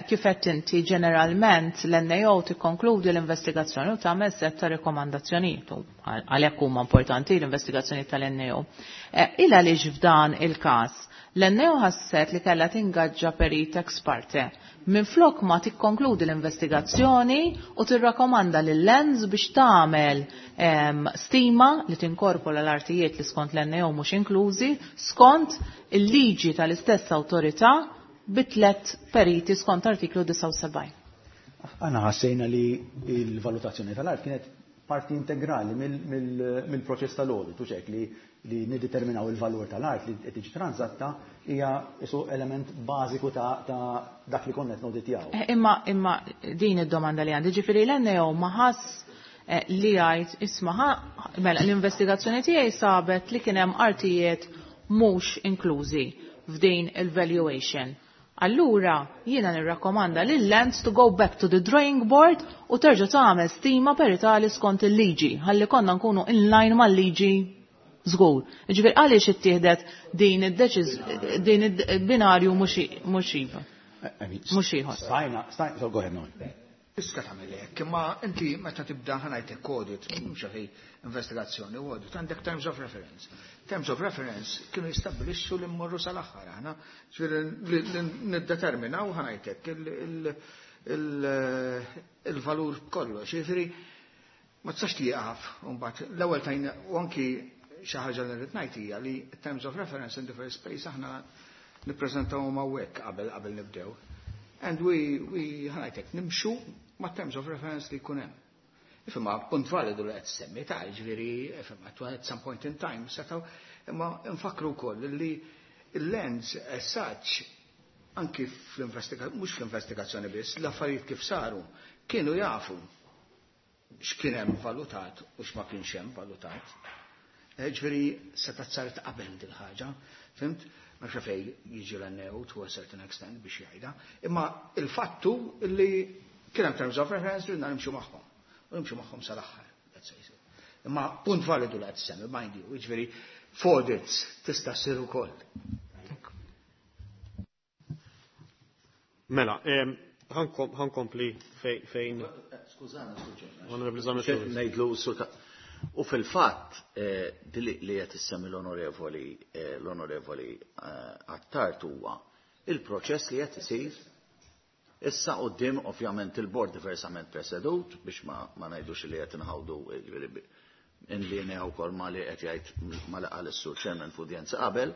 kif qed inti ġeneralment l-NAO tikkonkludi l-investigazzjoni u tagħmel set ta' rekomandazzjonijiet u għalhekk huma importanti l-investigazzjonijiet tal-NAO. Il għaliex f'dan il-każ l-NAO ħasset li kellha tingaġġa perit ex parte minflok ma tikkonkludi l-investigazzjoni u tirrakkomanda lil-lens biex tagħmel stima li tinkorpola l-artijiet li skont l-NAO mhux inklużi skont il-liġi tal-istess awtorità bi tliet periti skont artiklu 79. Aħna ħassejna li l-valutazzjoni tal-art kienet parti integrali mill-proċess tal-audit, u ċek li niddeterminaw il-valur tal-art li qed tiġi transatta hija isu element bażiku ta' dak li konna qed noditjaw. Imma din id-domanda li għandi, ġifieri l-NAO ma ħass li jgħid isma' mela l-investigazzjoni tiegħi sabet li kien hemm artijiet mhux inklużi f'din il-valuation. Allura jiena nirrakkomanda lil Lands to go back to the drawing board u terġa' tagħmel stima peritali skont il-liġi ħalli konna nkunu in line mal-liġi żgur. Jiġifieri għaliex ittieħdet din din il-binarju mhux iva. Mhux ieħor. Stajna, so go ahead, Noel. Tista' tagħmel hekk, imma inti meta tibda ħanajtek audit, mhux xi investigazzjoni u audit, għandek terms of reference. Terms of reference kienu jistabbilixxu li mmorru sal-aħħar aħna, ġifieri li niddeterminaw ħanajtek il-valur kollu, ġifieri ma tistax tieqaf mbagħad l-ewwel tajna u anki xi ħaġa li rrid ngħid hija li terms of reference in the first place aħna nippreżentawhom hawnhekk qabel nibdew. And we ħanajtek nimxu ma' terms of reference li jkun hemm. Ifhimha punt validu li qed semmi ta' ġifieri ifhimha at some point in time setgħu imma nfakru wkoll li l-lens as such anki fl-investigazzjoni mhux fl-investigazzjoni biss, l-affarijiet kif saru kienu jafu x'kien hemm valutat u x'ma kienx hemm valutat. Ġifieri seta' saret qabel din ħaġa, fimt? Ma xafej jiġi l-NEO to a certain extent biex jgħidha, imma il-fattu li kien hemm terms of reference li nimxu magħhom. U nimxu magħhom sal-aħħar, let's say so. Imma punt validu li qed semmi, mind you, jiġifieri f'audits tista' ssir ukoll. Mela, ħankompli fejn. Skużani, Onorevoli Zammit. Ngħidlu u fil-fatt li qed issemmi l-onorevoli Attard huwa il-proċess li qed isir Issa quddiem ovvjament il-bord diversament presedut biex ma, ma ngħidux li qed inħawdu, jiġifieri in linea wkoll ma li qed jgħid ma li qal is-Sur Chairman f'udjenza qabel.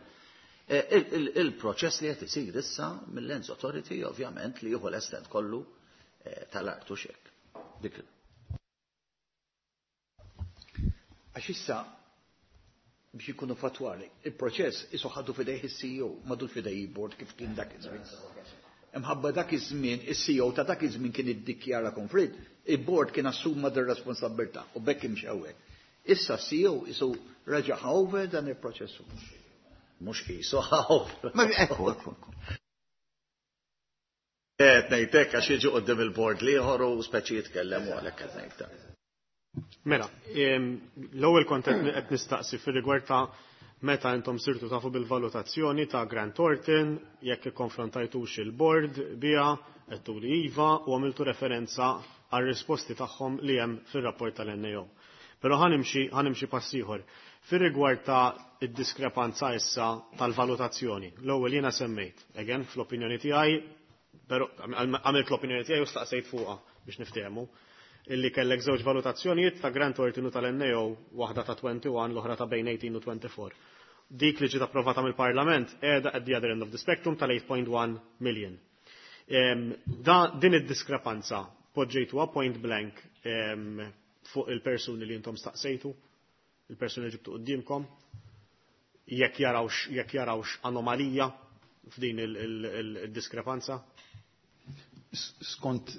Il-proċess li qed isir issa mill-Lands Authority ovvjament li jieħu l-estent kollu tal-art u xek. Dik. Għax issa biex ikunu fatwali, il-proċess isu ħadu fidejh is-CEO, m'għadux fidej il-board kif kien dak iż-żmien. Imħabba dak iż-żmien, is-CEO ta' dak iż-żmien kien iddikjara konflitt, il-board kien assuma dir responsabilità u bekk imxew hekk. Issa CEO isu reġa' over dan il-proċess. Mhux qisu over. Ma ekku, ekku, ekku. Qed ngħidlek għax jiġu quddiem il-board l-ieħor u speċi jitkellem u għalhekk qed ngħid. Mela, l-ewwel kont qed nistaqsi fir-rigward ta' meta intom sirtu tafu bil-valutazzjoni ta' Grant Thornton, jekk ikkonfrontajtux il-board biha, għedtu li iva u għamiltu referenza għal risposti tagħhom li hemm fir-rapport tal-NAO. Però ħanimxi pass ieħor. Fir-rigward ta' id-diskrepanza issa tal-valutazzjoni, l-ewwel jiena semmejt, again fl-opinjoni tiegħi, però għamilt l-opinjoni tiegħi u staqsejt fuqha biex niftehmu, illi kellek żewġ valutazzjonijiet ta' Grant Thornton u tal-NAO, waħda ta' 21, l-oħra ta' bejn 18 u 24. Dik li ġiet approvata mill-Parlament qiegħda at the other end of the spectrum tal-8.1 million. Din id-diskrepanza poġġejtuha point blank fuq il-persuni li intom staqsejtu, il-persuni li ġibtu quddiemkom, jekk jarawx anomalija f'din il-diskrepanza? Skont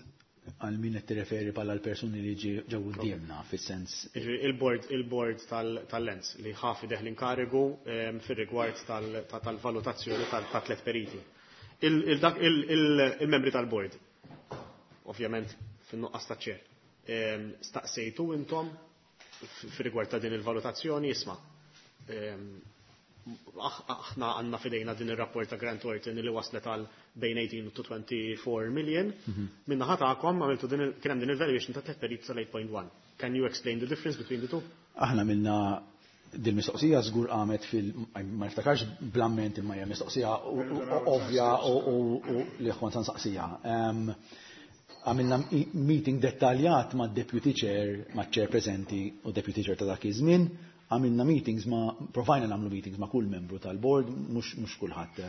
għal min qed tirreferi bħala l-persuni li ġew quddiemna fis-sens. Il-board tal-Lands li ħa f'idejh l-inkarigu fir-rigward tal-valutazzjoni ta' tliet periti. Il-membri tal-board, ovvjament fin-nuqqas ta' chair, staqsejtu intom fir-rigward ta' din il-valutazzjoni, isma', aħna għandna fidejna din il-rapport ta' Grant Thornton li waslet għal bejn 18 u 24 million. Min-naħa tagħkom għamiltu din kien hemm din il-valuation ta' tliet periti tal-8.1. Can you explain the difference between the two? Aħna minna dil-mistoqsija żgur qamet fil ma niftakarx bl-amment imma hija mistoqsija ovvja u li kont nsaqsija. Għamilna meeting dettaljat ma' deputy chair, ma' chair preżenti u deputy chair ta' dak iż-żmien. Għamilna meetings ma', provajna nagħmlu meetings ma' kull membru tal-board, mhux kulħadd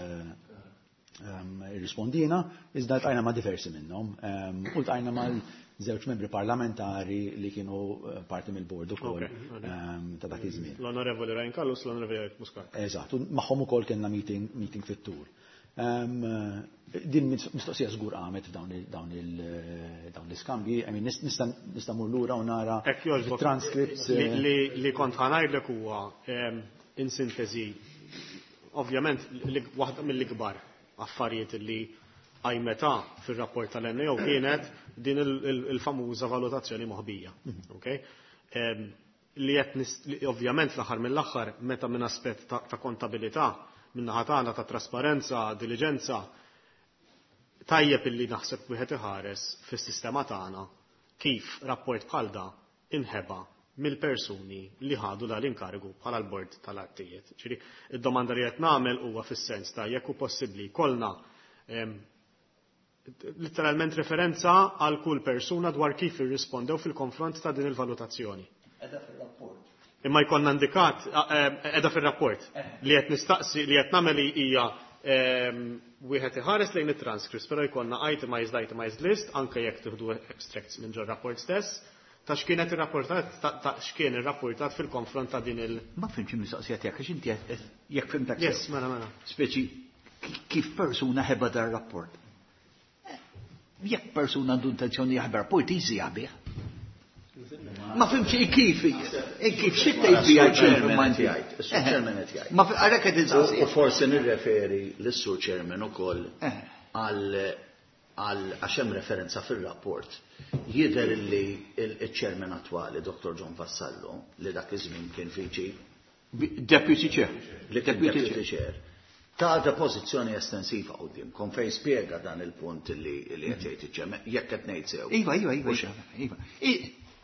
irrispondina, iżda ltqajna ma' diversi minnhom. U ltqajna ma' żewġ membri parlamentari li kienu parti mill-board ukoll ta' dak iż-żmien. L-Onorevoli Ryan Callus, l-Onorevoli Eric Muscat. Eżatt, u magħhom ukoll kellna meeting fit-tul. Din mistoqsija żgur qamet f'dawn dawn l-iskambji, I mean, nista' mur lura u nara Hekk jogħġbok. transcripts. Li kont ħa ngħidlek huwa in sintesi, ovvjament waħda mill-ikbar affarijiet li għajmeta fil-rapport tal-NAO kienet din il-famuża valutazzjoni moħbija. Okay? Li qed li ovvjament fl-aħħar mill-aħħar meta minn aspett ta' kontabilità, minn naħa tagħna ta' trasparenza, diligenza, tajjeb illi naħseb wieħed iħares fis-sistema tagħna kif rapport bħal da inħeba mill-persuni li ħadu dal-inkarigu bħala l-bord tal-artijiet. Ġifieri, id-domanda li qed nagħmel huwa fis-sens ta' jekk hu possibbli kollna letteralment referenza għal kull persuna dwar kif irrispondew fil-konfront ta' din il-valutazzjoni. Qiegħda fil-rapport. Imma jkollna indikat, qiegħda fil-rapport, li qed nistaqsi, li qed nagħmel hija wieħed iħares lejn it-transcripts, però jkollna itemized, itemized list, anke jekk tieħdu extracts minn ġo rapport stess, ta' x'kienet irrapportat, ta' x'kien irrapportat fil-konfront ta' din il- Ma fhimtx il-mistoqsija tiegħek, għax inti jekk fhimtek Yes, sew. mela, mela. Speċi kif persuna ħeba dar rapport. Jekk persuna għandu intenzjoni jaħbi rapport, easy jaħbih. Ma fhimtx kif xi tgħid bija Chairman ma qed inti. jgħid, is-Sur Chairman qed jgħid. Ma għalhekk qed insaqsi. U forsi nirreferi lis-Sur Chairman ukoll għal għax hemm referenza fir-rapport. Jidher li il-Chairman attwali, Dr. John Vassallo, li dak iż-żmien kien viċi Deputy Chair. Li kien Deputy Deputy Chair. Ta' depożizzjoni estensiva qudiemkom fejn spjega dan il-punt li qed jgħid iċ-chairman, jekk qed ngħid sew. Iva, iva, iva, iva, iva.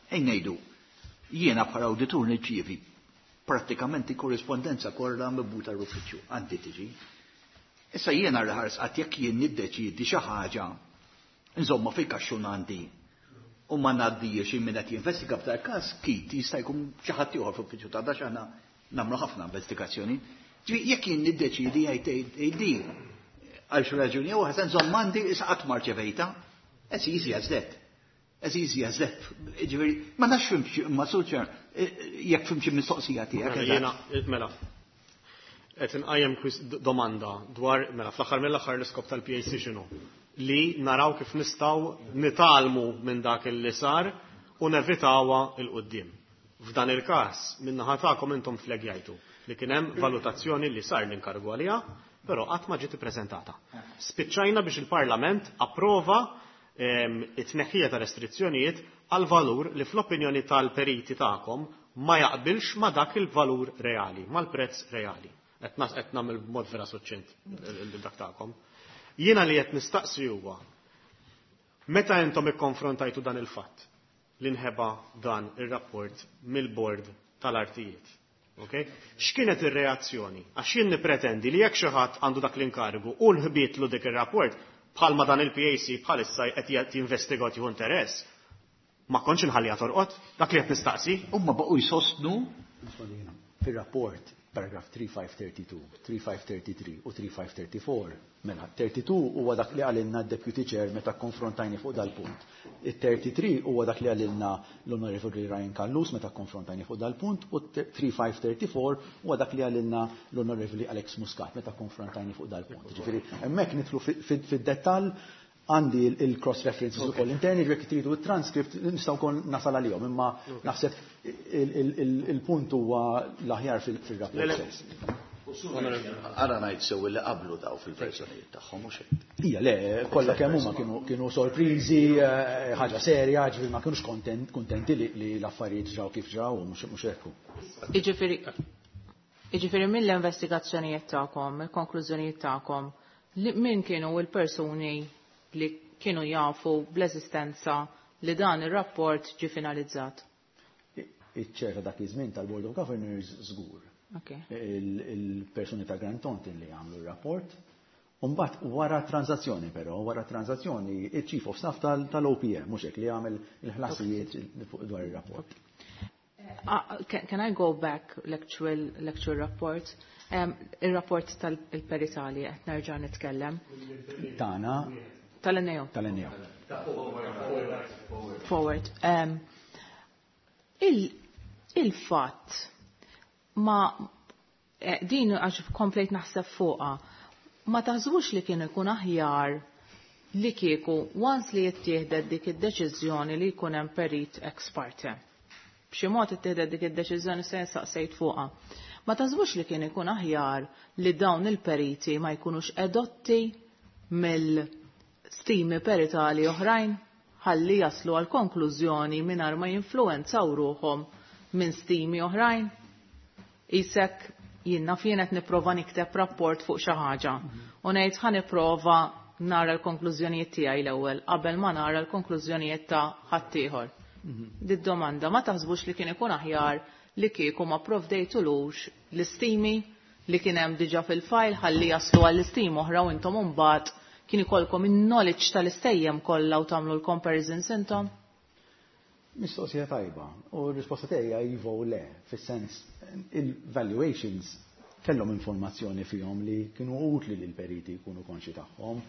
Ejn ngħidu, jiena bħala awditur nirċievi prattikament korrispondenza kollha mibgħuta l-uffiċċju, għandi tiġi. Issa jiena l-ħars qatt jekk jien niddeċiedi xi ħaġa Insomma, fil-kaxxun għandi u ma ngħaddijiex min qed jinvestiga f'dal każ kit jista' jkun xi ħadd ieħor fl-uffiċċju ta' dax aħna nagħmlu ħafna investigazzjoni. Ġifieri jekk jien niddeċidi jgħid di għal xi raġuni jew ħasan żomm għandi issa qatt ma rċevejta. As easy as that. As easy as that. Ġifieri ma nafx fimx ma suċer jekk fimx mistoqsija tiegħek. Jiena mela qed inqajjem domanda dwar mela fl-aħħar mill-aħħar l-iskop tal-PAC x'inhu? Li naraw kif nistgħu nitgħallmu minn dak li sar u nevitawha 'l quddiem. F'dan il-każ, min-naħa tagħkom intom flegjajtu li kien hemm valutazzjoni li sar l-inkargu għaliha, però qatt ma ġiet ippreżentata. Spiċċajna biex il-Parlament approva it-tneħħija ta' restrizzjonijiet għal valur li fl-opinjoni tal-periti tagħkom ma jaqbilx ma dak il-valur reali, mal-prezz reali. Qed nagħmel b'mod vera suċċint dak tagħkom. Jiena li qed nistaqsi huwa meta intom ikkonfrontajtu dan il-fatt li nħeba dan ir-rapport mill-bord tal-artijiet. Okay? X'kienet ir-reazzjoni? Għax jien nippretendi li jekk xi ħadd għandu dak l-inkarigu u nħbietlu dik ir-rapport bħalma dan il-PAC bħalissa qed jinvestiga jieħu interess, ma kontx inħalliha torqod, dak li qed nistaqsi. Huma baqgħu jsostnu fir-rapport paragraf 3532, 3533 u 3534, mela 32 huwa dak li qalilna d-Deputy Chair meta konfrontajni fuq dal-punt. Il-33 huwa dak li qalilna l-Onorevoli Ryan Callus meta konfrontajni fuq dal-punt u 3534 huwa dak li qalilna l-Onorevoli Alex Muscat meta konfrontajni fuq dal-punt. Ġifieri hemmhekk nidħlu fid-dettall għandi il-cross references ukoll interni, jekk tridu il-transcript nistgħu wkoll nasal għalihom, imma naħseb il-punt huwa l-aħjar fil-rapport stess. Ara ngħid sew li qablu daw fil-verżjonijiet tagħhom mhux hekk. Ija, le, kollha kemm huma kienu sorpriżi, ħaġa serja, ġifieri ma kinux kontenti li l-affarijiet ġraw kif ġraw u mhux hekk. Jiġifieri mill-investigazzjonijiet tagħkom, il-konklużjonijiet tagħkom, min kienu l-persuni li kienu jafu bl-eżistenza li dan ir-rapport ġi finalizzat? Iċ-chair ta' dak iż-żmien tal-Board of Governors żgur. Il-persuni ta' Grant Thornton li għamlu r-rapport. Umbagħad wara transazzjoni però, wara transazzjoni, il-Chief of Staff tal-OPM, mhux hekk li għamel il-ħlasijiet dwar ir-rapport. Can I go back l-actual report? Il-rapport tal-peritali qed nerġa' nitkellem. Tana. Tal-NAO. Tal-NAO. Forward. Il-fatt ma din għax komplejt naħseb fuqha, ma taħsbux li kien ikun aħjar li kieku once li jittieħdet dik id-deċiżjoni li jkun hemm perit ex parte. B'xi mod ittieħdet dik id-deċiżjoni se saqsejt fuqha. Ma taħsbux li kien ikun aħjar li dawn il-periti ma jkunux edotti mill-stimi peritali oħrajn ħalli jaslu għal konklużjoni mingħajr ma jinfluwenzaw ruħhom minn stimi oħrajn? Isek jiena fien qed nipprova nikteb rapport fuq xi ħaġa u ngħid ħa nipprova nara l-konklużjonijiet tiegħi l-ewwel qabel ma nara l-konklużjonijiet ta' ħaddieħor. Did domanda ma taħsbux li kien ikun aħjar li kieku ma provdejtulux l-istimi li kien hemm diġà fil-file ħalli jaslu għall-istim oħra u intom imbagħad kien ikolkom in-knowledge tal-istejjem kollha u tagħmlu l-comparisons intom? Mistoqsija tajba. U r-risposta tiegħi iva u le, fis-sens il-valuations kellhom informazzjoni fihom li kienu utli li l-periti jkunu konxi tagħhom.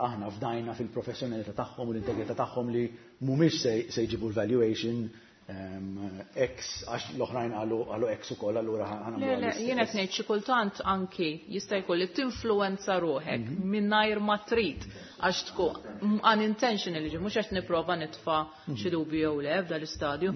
Aħna fdajna fil-professjonalità tagħhom u l-integrità tagħhom li mhumiex se jġibu l-valuation X għax l-oħrajn qalu X ukoll allura ħa nagħmlu Le, le, jien qed ngħid xi kultant anki jista' jkun li tinfluwenza ruħek mingħajr ma trid għax tkun unintentionally, mhux qed nipprova nitfa' xi dubju jew le f'dan l-istadju.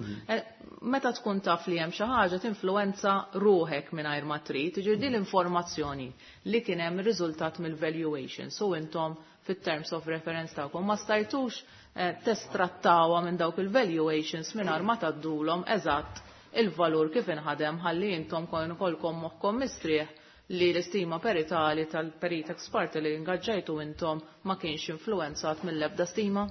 Meta tkun taf li hemm xi ħaġa tinfluwenza ruħek mingħajr ma trid, jiġifieri din l-informazzjoni li kien hemm riżultat mill-valuation. So intom fit-terms of reference tagħkom ma stajtux testrattawha minn dawk il-valuations mingħajr ma tgħaddulhom eżatt il-valur kif inħadem ħalli intom kolkom moħħkom mistrieħ li l-istima peritali tal-perit ex parte li ingaġġajtu intom ma kienx influenzat mill-ebda stima?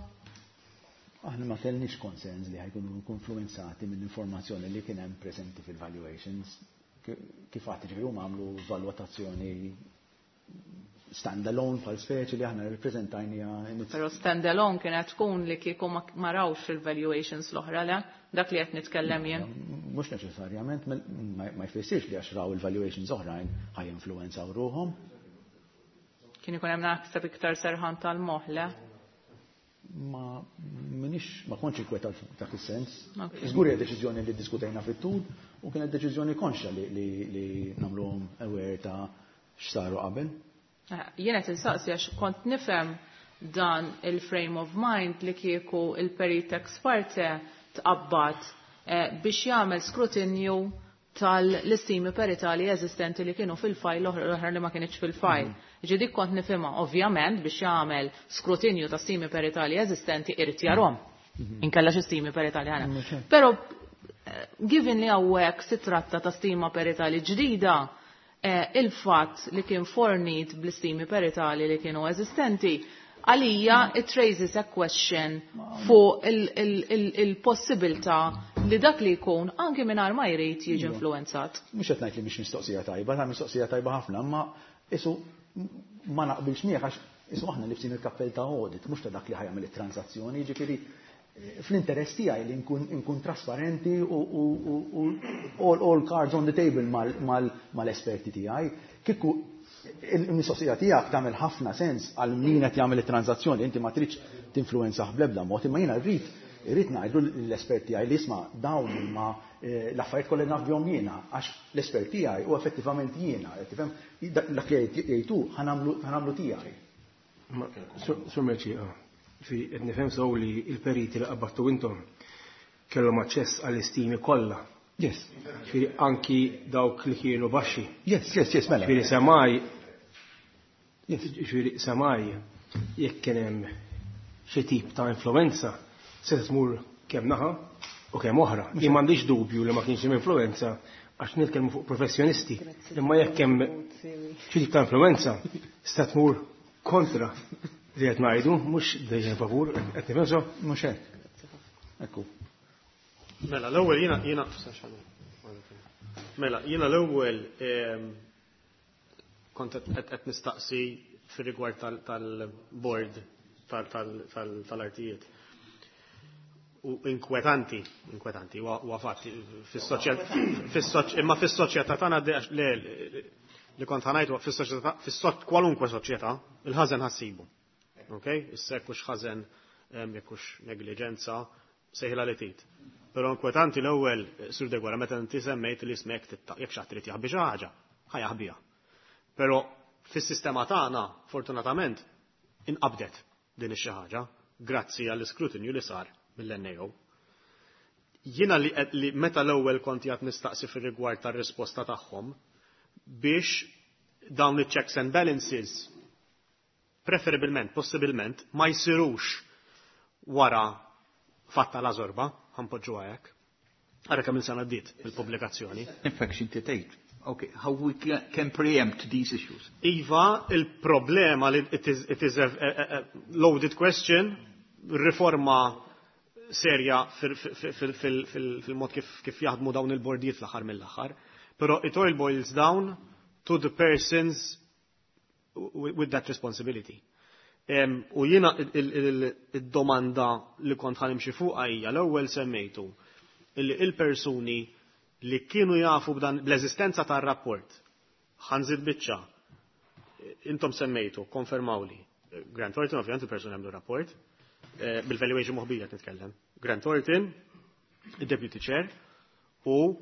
Aħna ma kellniex concerns li ħa jkunu influenzati mill-informazzjoni li kien hemm preżenti fil-valuations. Kif għad ġifieri huma għamlu valutazzjoni stand-alone bħal speċi li aħna rippreżentajnija. Però stand-alone kienet tkun li kieku ma rawx il-valuations l-oħra, le? Dak li qed nitkellem jien. Mhux neċessarjament, ma jfissirx li għax raw il-valuations oħrajn ħa jinfluwenzaw ruħhom. Kien ikun hemm naħseb iktar serħan tal-moħħ, le? Ma minix, ma kontx inkwetat f'dak is-sens. Żgur hija deċiżjoni li ddiskutejna fit-tul u kienet deċiżjoni konxja li nagħmluhom aware ta' x'saru qabel. Jien qed insaqsi għax kont nifhem dan il-frame of mind li kieku il-perit ex parte tqabbad biex jagħmel skrutinju tal-istimi peritali eżistenti li kienu fil-fajl, l-oħra li ma kienx fil-fajl. Ġi dik kont nifhimha, ovvjament biex jagħmel skrutinju ta' stimi peritali eżistenti irid jarhom. Inkella xi stimi peritali ħana. Però given li hawnhekk si tratta ta' stima peritali ġdida, il-fatt li kien fornit bl-istimi peritali li kienu eżistenti, għalija it raises a question fuq il-possibilità li dak li jkun anki mingħajr ma jrid jiġi influenzat. Mhux qed ngħid li mhix mistoqsija tajba, ta' mistoqsija tajba ħafna, imma isu ma naqbilx miegħek għax isu aħna libsin il-kappell ta' audit, mhux ta' dak li ħa jagħmel it-transazzjoni, jiġifieri fl-interess tiegħi li nkun trasparenti u all cards on the table mal-esperti tiegħi. Kieku il-mistoqsija tiegħek tagħmel ħafna sens għal min qed jagħmel it-transazzjoni, inti ma tridx tinfluwenzah bl-ebda mod, imma jiena rrid ngħidlu l-espert tiegħi li isma' dawn huma l-affarijiet kollha naf bihom jiena, għax l-espert tiegħi u effettivament jiena, qed tifhem, dak li jgħidu ħa nagħmlu tiegħi. Sur Mercieca, fi qed nifhem sew li l-periti li qabadtu intom kellhom aċċess għall-istimi kollha. Yes. Ġifieri anki dawk li kienu baxxi. Yes, mela. Ġifieri semaj. Yes. Ġifieri semaj jekk kien hemm xi tip ta' influenza se tmur kemm naħa u kemm oħra. Jien m'għandix dubju li ma kienx hemm influenza għax nitkellmu fuq professjonisti. Imma jekk hemm xi tip ta' influenza se tmur kontra li qed ngħidu, mhux dejjem favur, qed nifhem so? Mhux hekk. Ekku. Mela, l-ewwel jiena, mela, jiena l-ewwel kont qed nistaqsi fir-rigward tal-board tal-artijiet. U inkwetanti, inkwetanti, huwa fatt, imma fis-soċjetà tagħna le, li kont ħa ngħid fis-soċjetà, kwalunkwe soċjetà, il-ħażen ħassibu. Ok? Issa jekk hux ħażen, jekk hux negliġenza, sejħilha li trid. Però inkwetanti l-ewwel, Sur Deguara, meta inti semmejt li ismek jekk xi ħadd irid jaħbi xi ħaġa, ħa jaħbiha. Però fis-sistema tagħna, fortunatament, inqabdet din ix-xi ħaġa grazzi għall-iskrutinju li sar mill-NAO. Jiena li meta l-ewwel kont qed nistaqsi fir-rigward tar-risposta tagħhom biex dawn iċ-checks and balances preferibilment, possibilment, ma jsirux wara fatta la zorba, ħa npoġġu hekk. Ara kemm il-sena għaddiet il-pubblikazzjoni. In fact, x'inti tgħid. Okay, how we can preempt these issues? Iva, il-problema li it is a loaded question, riforma serja fil-mod kif jaħdmu dawn il-bordijiet fl-aħħar mill-aħħar. Però it all boils down to the persons with that responsibility. U jiena id-domanda li kont ħa nimxi fuqha hija l-ewwel semmejtu illi il-persuni li kienu jafu b'dan bl-eżistenza tar-rapport, ħa nżid biċċa, intom semmejtu, konfermawli. Grant Thornton, ovvjament il-persuni għamlu rapport, bil-valuation moħbija nitkellem. Grant Thornton, il-Deputy Chair, u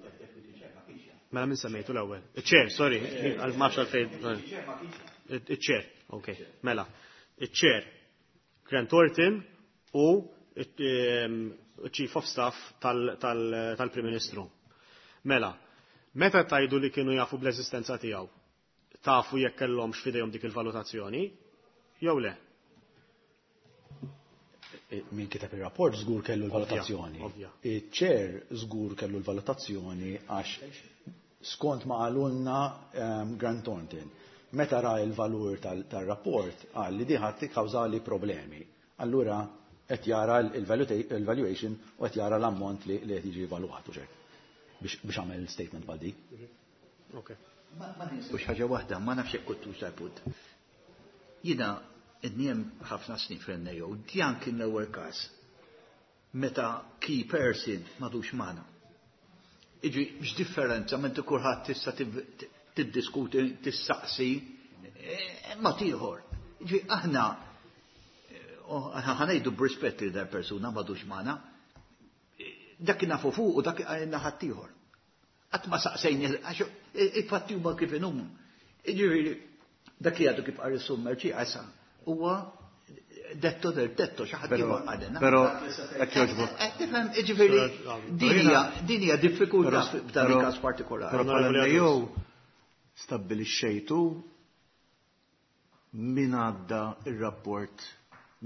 mela min semmejtu l-ewwel? Il-Chair, sorry, għal ma nafx għalfejn. Il-Chair, ok, mela. Il-Chair, Grant Thornton u Chief of Staff tal-Prim Ministru. Mela, meta tajdu li kienu jafu bl-eżistenza tiegħu, tafu jekk kellhomx f'idejhom dik il-valutazzjoni, jew le? Min kiteb ir-rapport żgur kellu l-valutazzjoni. Ovvja. Il-chair żgur kellu l-valutazzjoni għax skont ma qalulna Grant Thornton. Meta ra il-valur tal-rapport qal li diħat tikkawżali problemi. Allura qed jara il-valuation u qed jara l-ammont li qed jiġi evalwat u ċert. Biex għamel statement bħal dik. Ok. Ma ninsewx ħaġa waħda, ma nafx jekk kontux tal-punt. Jiena id-niem ħafna snin fil-NAO, dan kien l-ewwel każ meta key person m'għadux magħna. Iġi, x'differenza minn kulħadd tista' tiddiskuti, tissaqsi, ma tieħor. Iġi, aħna ħa ngħidu b'rispett li dar persuna m'għadux magħna, dak nafu fuq u dak għajna ħaddieħor. Qatt ma saqsejni, għax il-fatti huma kif inhuma. Jiġifieri, dak li għadu kif qal is-Sur Mercieca issa huwa detto del tetto xi ħadd ieħor qalilna. Però hekk jogħġbok. Qed tifhem, jiġifieri din hija diffikultà f'dan il-każ partikolari. Però bħala jew stabbilixxejtu min għadda ir-rapport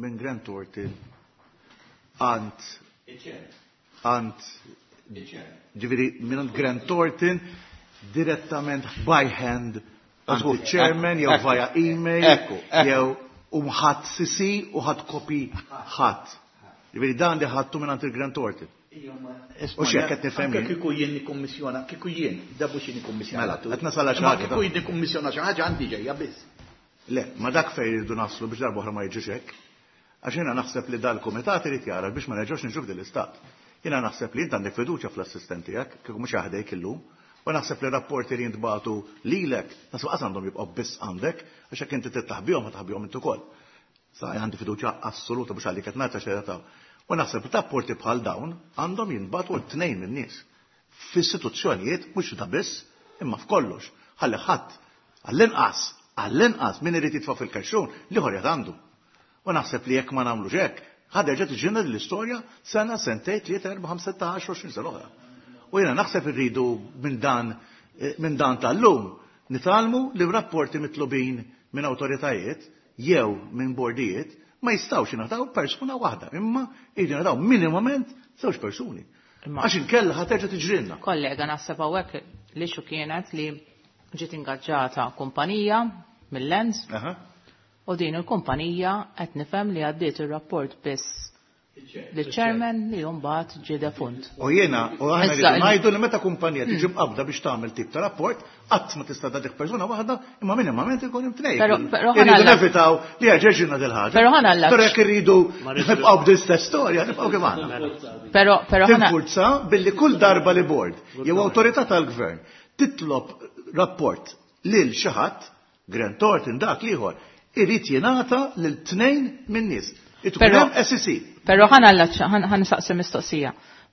minn Grant Thornton għand għand ġifieri minn Grant Thornton direttament by hand għand il-chairman jew via email jew u ħadd CC u ħadd copy ħadd. Ġifieri dan li ħadtu minn il-Grant Thornton. U x'hekk qed nifhem Anke kieku jien nikkummissjona, kieku jien, da mhux jien nikkummissjona. Mela, qed nasal għal xi Imma ħaġa. kieku jien nikkummissjona xi ħaġa għandi ġejja biss. Le, ma dak fejn irridu naslu biex darba oħra ma jiġux hekk. Għax jiena naħseb li dal-kumitat irid jara biex ma nerġgħux niġu f'din l-istat. Jiena naħseb li int għandek fiduċja fl-assistent tiegħek, kieku mhux jaħdejk illum, u naħseb li rapporti li jintbagħtu lilek, naħseb qas għandhom jibqgħu biss għandek, għax jekk inti titaħbihom ma taħbihom int ukoll. Sa għandi fiduċja assoluta biex għalik qed ngħid għax ta' U naħseb li rapporti bħal dawn għandhom jinbagħtu t-tnejn min-nies. F'istituzzjonijiet mhux ta' biss, imma f'kollox. Ħalli ħadd għall-inqas, għall-inqas min irid jitfa' fil-kaxxun l-ieħor jgħid għandu. U naħseb li jekk ma nagħmlux hekk, ħa terġa' tiġina l-istorja sena, sentejn, tlieta, erba', ħamsa, sitta, 10, 20 sena oħra. U jiena naħseb irridu minn dan minn dan tal-lum nitgħallmu li rapporti mitlubin minn awtoritajiet jew minn bordijiet ma jistgħux jingħataw persuna waħda, imma jridu jingħataw minimament żewġ persuni. Għax inkella ħa terġa' tiġrilna. Kollega, naħseb hawnhekk li xu kienet li ġiet ingaġġata kumpanija mill-Lens u din il-kumpanija qed nifhem li għaddiet ir-rapport biss lill-chairman li mbagħad ġie defunt. U jiena, u aħna Issa, rridu ngħidu li meta kumpanija tiġi mqabda biex tagħmel tip ta' rapport, qatt ma tista' tagħtik persuna waħda, imma minimament ikun hemm tnejn. Però Irridu ħanalla- nevitaw li jerġa' dil ħaġa. Però ħanalla- Però jekk irridu nibqgħu b'din-istess storja, nibqgħu kif aħna. Però però ħana Tinfurza billi kull darba li board jew awtorità tal-gvern titlob rapport lil xi ħadd, Grant Thornton dak l-ieħor, irid jingħata lil tnejn min-nies. Irid ikun Però- hemm SEC. Però ħana ħan saqsi mistoqsija.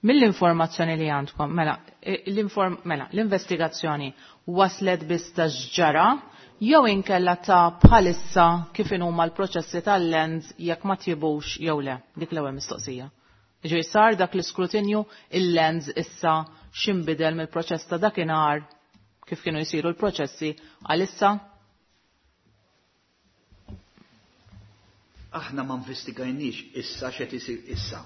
Mill-informazzjoni li għandkom, mela, l-inform, mela, l-investigazzjoni waslet biss ta' x'ġara jew inkella ta' bħalissa kif inhuma l-proċessi tal-lens jekk ma tjibux jew le. Dik l-ewwel mistoqsija. Ġej sar dak l-iskrutinju il-lens issa x'inbidel mill-proċess ta' dakinhar kif kienu jsiru l-proċessi għalissa? Aħna ma investigajniex issa x'qed isir issa.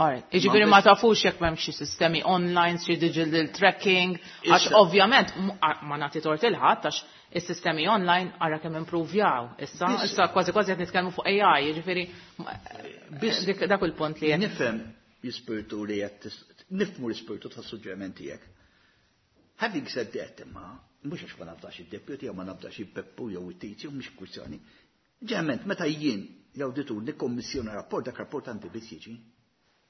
Alright, Jiġifieri ma tafux jekk m'hemm xi sistemi online, xi digital tracking, għax Issa. ovvjament ma nagħti tort il-ħadd għax is-sistemi online ara kemm improvjaw. Issa, issa kważi kważi qed nitkellmu fuq AI, jiġifieri Biss dak il-punt li qed Nifhem l-ispirtu li qed nifhmu l-ispirtu tas-suġġeriment tiegħek. Having said that, imma, mhux għax ma nafdax id-deputy jew ma nafdax il-Peppu jew it-Tizju, mhux kwistjoni. Ġeneralment, meta jien l-awditur nikkommissjona rapport, dak rapport għandi biss jiġi.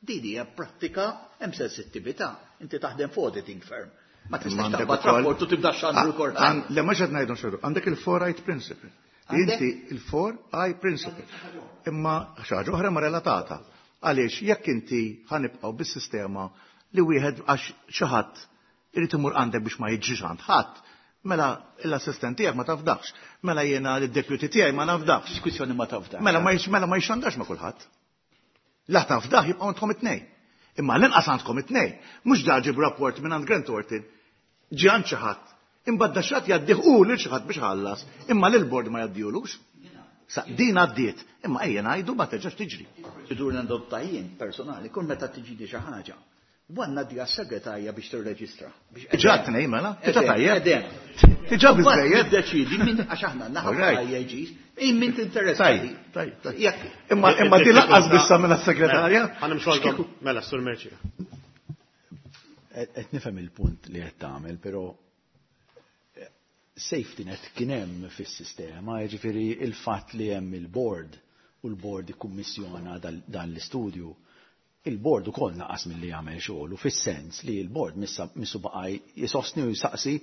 Din hija prattika hemm sensittività. Inti taħdem fuq auditing firm. Ma tistax Għandek taqbad ukoll- rapport u tibda xandru kol. Le mhux qed ngħidu xorru, għandek il-four eye principle. Għandek? Inti il-four eye principle. Imma xi ħaġa oħra ma relatata. Għaliex jekk inti ħanibqgħu bis-sistema li wieħed għax xi ħadd irid imur għandek biex ma jiġix għand ħadd, mela l-assistent tiegħek ma tafdax, mela jiena l-deputy tiegħi ma nafdax. Diskussjoni ma tafdax. Mela ma jix- mela ma jixandax ma kulħadd. La tafdax jibqgħu għandkom it-tnejn. Imma l-inqas għandkom it-tnejn. Mhux da ġib rapport minn għand Grant Thornton, ġie għand xi ħadd. Imbagħad da xi ħadd jgħaddih u lil xi ħadd biex ħallas, imma lil bord ma jgħaddihulux. Sa din għaddiet, imma ejja ngħidu ma terġax tiġri. Proċedura ndotta jien personali, kull meta tiġini xi ħaġa. Għandna di għas-segretarja biex tirreġistra. Biex Diġà tnejn mela, diġà tajjeb. Edem. Diġà biżejjed. Deċidi min għax aħna naħa Alright. IAGs, min min tinteressa. Tajjeb, tajjeb, tajjeb. Jekk Imma imma di laqqas bissa mela s-segretarja. Ħa nimxu għal Mela, Sur Mercieca. Qed nifhem il-punt li qed tagħmel, però Safety net kien hemm fis-sistema, jiġifieri il-fatt li hemm il-board u l-board ikkummissjona dan l-istudju, il-board ukoll naqas milli jagħmel xogħol u fis-sens li l-board missu baqa' jsostni u jsaqsi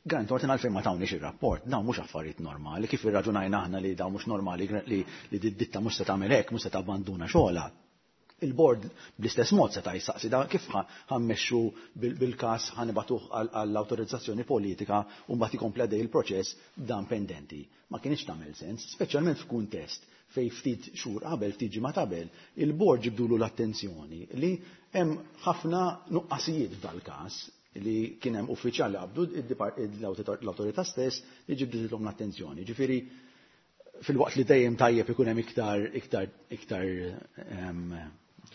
Grant Thornton għalfejn ma tawniex ir-rapport, dawn mhux affarijiet normali, kif irraġunajna aħna li dawn mhux normali li d-ditta mhux se tagħmel hekk, mhux se tabbanduna xogħolha. Il-board bl-istess mod seta' jsaqsi da kif ħa mmexxu bil-każ ħa nibagħtuh għall-awtorizzazzjoni politika u mbagħad ikompli għaddej il-proċess b'dan pendenti. Ma kinitx tagħmel sens, speċjalment f'kuntest fejn ftit xhur qabel, ftit ġimgħat qabel, il-board ġibdulu l-attenzjoni li hemm ħafna nuqqasijiet f'dal-każ li kien hemm uffiċjal li qabdu l-awtorità stess li ġibditilhom l-attenzjoni. Ġifieri fil-waqt li dejjem tajjeb ikun hemm iktar iktar iktar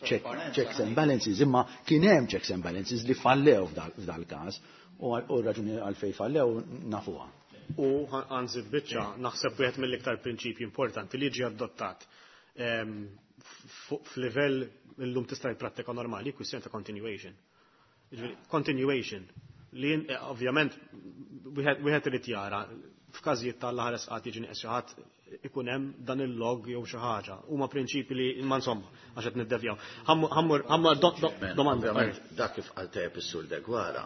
checks and balances, imma kien hemm checks and balances li fallew f'dal-każ u r-raġuni għalfejn fallew nafuha. U għanżid biċċa, naħseb wieħed mill-iktar prinċipji importanti li ġie adottat f'livell illum tista' jprattika normali, kwistjoni ta' continuation. Continuation li ovvjament wieħed irid jara f'każijiet tal-aħħar qatt jiġi nieqes xi ħadd ikun hemm dan il-log jew xi ħaġa. Huma prinċipi li imma insomma għax qed niddevjaw. Ħammur domanda. Dak kif qal tajjeb is-Sur Deguara,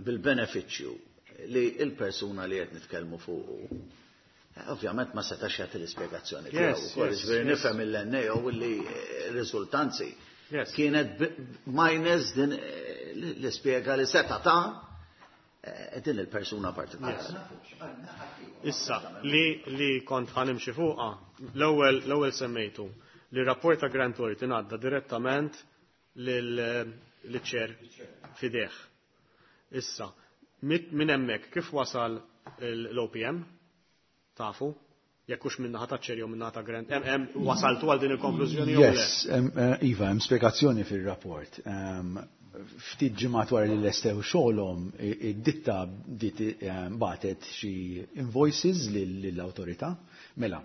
bil-benefiċċju li l-persuna li qed nitkellmu fuqu ovvjament ma setax jagħti l-ispjegazzjoni tiegħu ukoll. Ġifieri nifhem il-NAO li r-riżultanzi kienet minus din l-ispjega li seta' ta' din il-persuna partikolari. Issa, li kont ħanimxi fuqha, l-ewwel semmejtu li rapport ta' Grant Thornton għadda direttament lill-ċer fideh. Issa, minn hemmhekk kif wasal l-OPM? Tafu? Jekk hux minn naħa taċ-ċer jew minn naħa ta' Grant, hemm wasaltu għal din il-konklużjoni jew le? Yes, iva, hemm spjegazzjoni fir-rapport. Ftit ġimgħat wara li lestew xogħolhom, id-ditta bdiet bagħtet xi invoices lill-awtorità. Mela,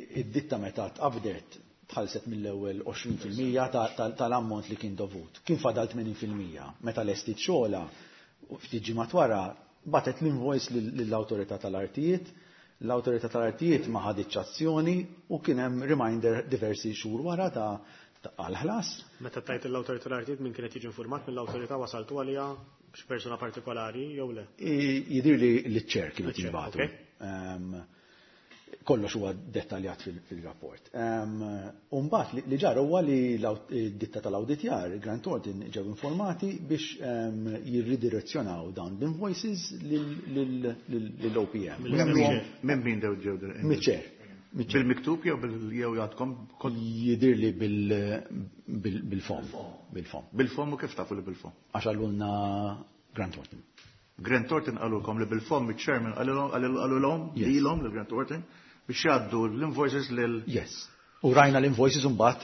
id-ditta meta tqabdet tħallset mill-ewwel 20% tal-ammont li kien dovut. Kien fadal 80%. Meta lestit xogħolha, ftit ġimgħat wara, bagħtet l-invoice lill-awtorità tal-artijiet. L-awtorità tal-artijiet ma ħaditx azzjoni u kien hemm reminder diversi xhur wara ta' għal-ħlas. Meta tajt l-awtorità tal-artijiet min kienet jiġi informat mill-awtorità wasaltu għaliha xi persuna partikolari jew le? Jidhir li l-ċer kienu jinbagħtu. Kollox huwa dettaljat fil-rapport. U mbagħad li ġara huwa li d-ditta tal-awditjar, Grant Thornton, ġew informati biex jirridirezzjonaw dawn l-invoices lill-OPM. Minn min dew ġew? Miċ-ċer. Bil-miktub jew jew jgħadkom? Jidhir li bil-fom. Bil-fom. Bil-fom u kif tafu li bil-fom? Għax għallulna Grant Thornton. Grant Thornton qalulkom li bil-fom iċ-chairman qalulhom lilhom lil Grant Thornton biex jgħaddu l-invoices lil Yes. U rajna l-invoices mbagħad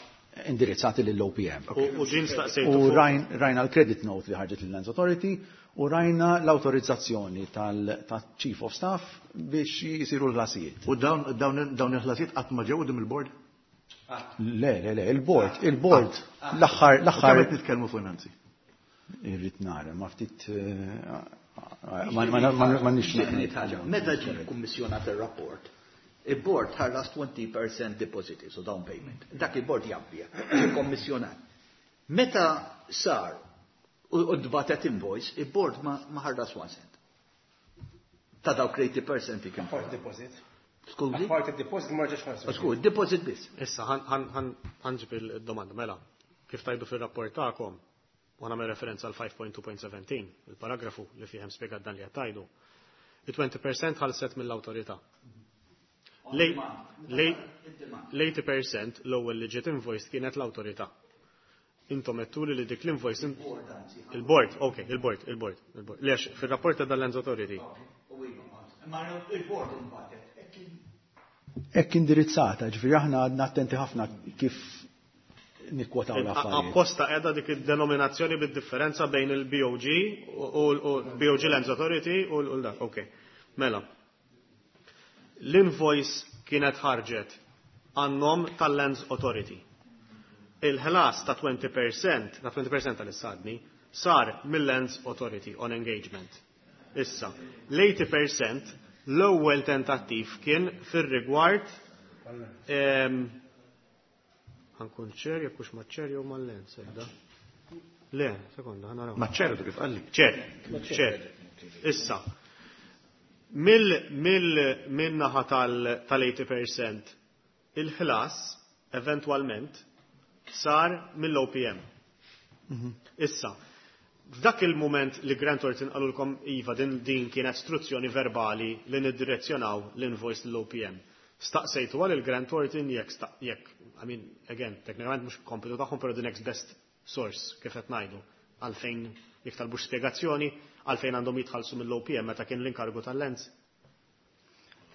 indirizzati lill-OPM. U din staqsejtu. U rajna l-credit note li ħarġet lill-Lands Authority u rajna l-autorizzazzjoni tal-Chief of Staff biex jisiru l-ħlasijiet. U dawn il-ħlasijiet qatt ma ġew quddiem il-board? Le, le, le, il-board, il-board, l-aħħar, l-aħħar. Kemm qed nitkellmu fuq Nancy? Irrid nara, ma ftit ma nixtieq. Meta ġie kummissjonat ir-rapport, il-board ħallas 20% deposit, so down payment. Dak il-board jabbija, kommissjonat. Meta sar u dbatet invoice, il-board ma ħallas 1 cent. Ta' dawk 80% kien. Apart deposit. Skużi? Apart deposit ma ġiex ħallas. Skuż, deposit biss. Issa, ħanġib il-domanda, mela, kif tajdu fil-rapport tagħkom, u nagħmel referenza għal 5.2.17, il-paragrafu li fihem spjegat dan li qed tajdu. Il-20% ħalset mill-awtorità. L-80% l-ewwel li ġiet invoice kienet l-awtorità. Intom għedtuli li dik l-invoice il-board, ok, il-board, il-board, il-board. Lex, fil-rapport ta' Lands Authority. Il-board inbatet. Hekk indirizzata, ġifieri aħna għadna attenti ħafna kif nikkwotaw l-affarijiet. Apposta qiegħda dik id-denominazzjoni bid-differenza bejn il-BOG u l-BOG Lands Authority u l-dak, ok. Mela. L-invoice kienet ħarġet għan-nom tal-Lands Authority. Il-ħlas ta' 20%, ta' 20% tal-issadni, sar mill-Lands Authority on engagement. Issa, l-80% l-ewwel tentattiv kien fir-rigward ħankun ċer jekk hux maċ-ċer jew mal-lens edda. Le, sekonda, ħa naraw. Maċ-ċer kif qalli. ċer, ċer. Issa, mill-naħa tal-80% il-ħlas eventwalment sar mill-OPM. Issa, f'dak il-moment li Grant Thornton qalulkom iva din kienet istruzzjoni verbali li niddirezzjonaw l-invoice l-OPM. Staqsejtu għal il-Grant Thornton jekk, I mean, again, teknikament mhux kompitu tagħhom, però the next best source kif qed ngħidu għalfejn jekk talbux spjegazzjoni għalfejn għandhom jitħallsu mill-OPM meta kien l-inkargu tal-Lands.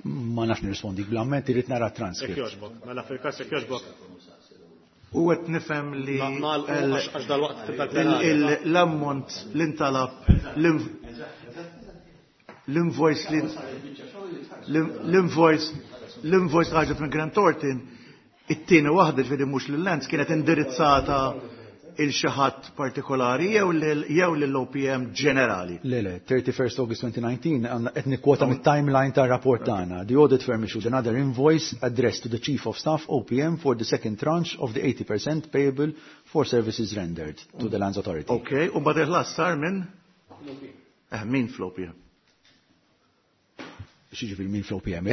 Ma nafx nirrispondi bl-amment irrid nara transcript. Jekk jogħġbok, mela fil-każ jekk jogħġbok. U qed nifhem li għax dal-waqt tibda l-ammont li ntalab l-invoice li l-invoice l-invoice ħarġet minn Grant Thornton it-tieni waħda ġifieri mhux lil-Lands kienet indirizzata il xi ħadd partikolari jew lill-OPM ġenerali. Le, 31st August 2019 għandna qed nikkwota mit-timeline tar-rapport tagħna. The audit firm issued another invoice addressed to the Chief of Staff OPM for the second tranche of the 80% payable for services rendered to the Lands Authority. Ok, u mbagħad il-ħlas sar minn? Min fl-OPM? X'jiġifieri min fl-OPM?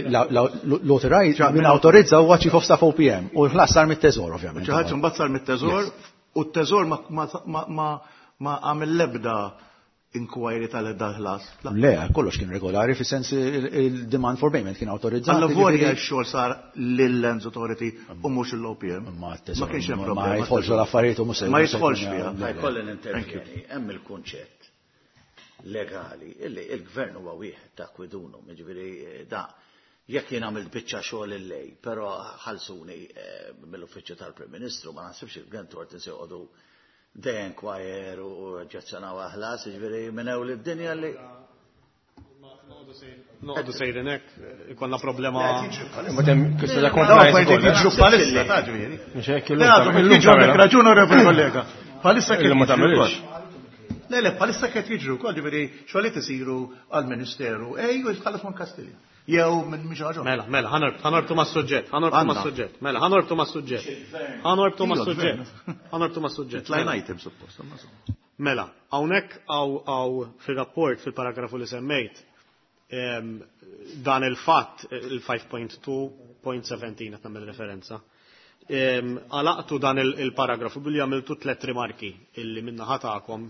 L-authorize, min autorizza huwa Chief of Staff OPM u l-ħlas sar mit-teżor ovvjament. Xi ħadd imbagħad sar mit-teżor u t-teżor ma għamel l-ebda inquiry tal-ħlas. Le, kollox kien regolari fis-sens il-demand for payment kien autorizzat. Alla volja x-xogħol sar lill-Lands Authority u mhux l-OPM. Ma Ma kienx hemm problema. Ma jidħolx l-affarijiet u mhux Ma jidħolx fiha. Ma jkolli nintervjeni, hemm il-kunċett legali illi il-gvern huwa wieħed ta' kwidunu, jiġifieri da jekk jien għamilt biċċa xogħol illej, però ħalsuni mill-uffiċċju tal-Prim Ministru, ma naħsibx il-Grant Thornton se joqogħdu they inquire u oġġezzjonaw ħlas, jiġifieri minn ewl id-dinja li Noqogħdu sejrin hekk, ikollna problema. Ma hemm kwistjoni ta' compliance ukoll. Jiġru bħalissa, ta' ġifieri. Mhux hekk Le għadhom jiġru għandek raġun onorevoli kollega. Bħalissa Illum ma tagħmilx. Le, bħalissa qed jiġru wkoll, ġifieri xogħlijiet isiru għall-Ministeru, ej u jitħallas minn Kastilja. Jew minn mhix ħaġa. Mela, mela, ħanorbtu mas-suġġett, ħanorbtu mas-suġġett. Mela, ħanorbtu mas-suġġett. Ħanorbtu mas-suġġett. Ħanorbtu mas-suġġett. Line item suppost. Mela, hawnhekk hawn fir-rapport fil-paragrafu li semmejt dan il-fatt il-5.2.17 qed nagħmel referenza. Għalaqtu dan il-paragrafu billi għamiltu tliet rimarki illi minna ħatakom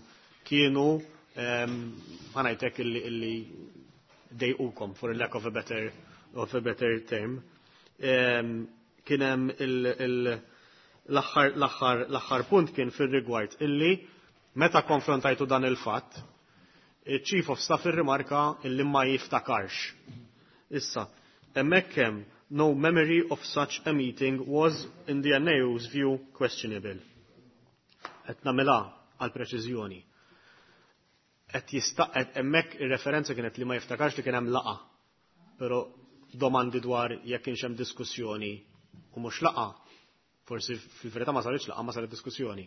kienu ħa ngħidlek illi dejqukom for lack of a better term. Kien hemm l-aħħar punt kien fir-rigward illi meta konfrontajtu dan il-fatt, il-Chief of Staff irrimarka illi ma jiftakarx. Issa, hemmhekk hemm no memory of such a meeting was in the NAO's view questionable. Qed nagħmilha għal preċiżjoni. Qed jista' hemmhekk ir-referenza kienet li ma jiftakarx li kien hemm laqgħa. Però domandi dwar jekk kienx hemm diskussjoni u mhux laqgħa, forsi fil-verità ma saritx laqgħa, ma saret diskussjoni.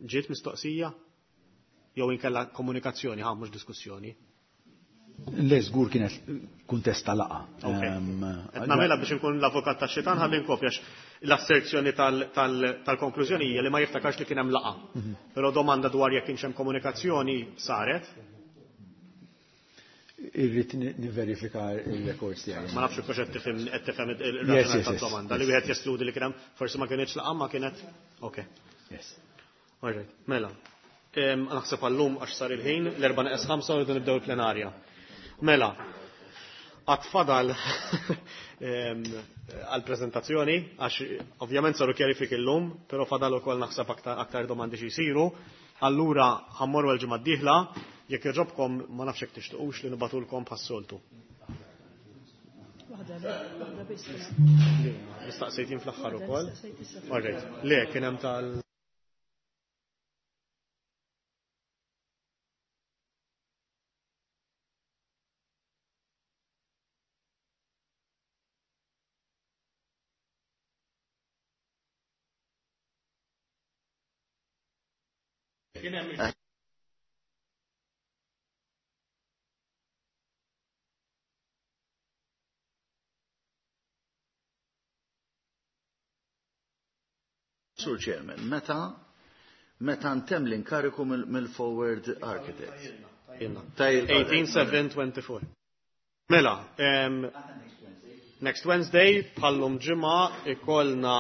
Ġiet mistoqsija jew inkella komunikazzjoni, ħa mhux diskussjoni. Le, żgur kienet kuntest ta' laqgħa. Qed nagħmilha biex inkun l-avukat tax-xitan ħalli nkopjax l-asserzjoni tal-konklużjoni hija li ma jiftakarx li kien hemm laqgħa. Però domanda dwar jekk kienx hemm komunikazzjoni saret. Irrid niverifika il-records tiegħi. Ma nafx kux qed tifhem qed tifhem il-raġunament tad-domanda li wieħed jeskludi li kien hemm forsi ma kienx laqgħa ma kienet. Okay. Yes. All right, mela. Naħseb għallum għax sar il-ħin, l-3:55 u rridu nibdew il-plenarja. Mela, għad fadal għal-prezentazzjoni, għax ovvjament saru kjarifiki l-lum, pero fadal ukoll naħseb aktar domandi xi jsiru. Allura ħammorru l-ġimgħa d-dieħla, jekk jogħġobkom ma nafx jekk tixtuqux li nibatulkom bħas-soltu. Waħda biss. Nistaqsejt jien fl-aħħar ukoll. All right. Le, kien hemm tal Sur Chairman, meta ntemm l-inkariku mill-Forward Architects? 18-7-24. Mela, next Wednesday, bħal-lum ġimgħa, ikollna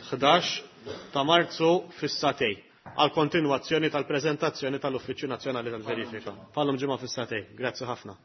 11 ta' Marzu fis-sagħtejn għal kontinwazzjoni tal-prezentazzjoni tal-Uffiċċju Nazzjonali tal-Verifika. Bħal-lum ġimgħa fis-sagħtejn. Grazzi ħafna.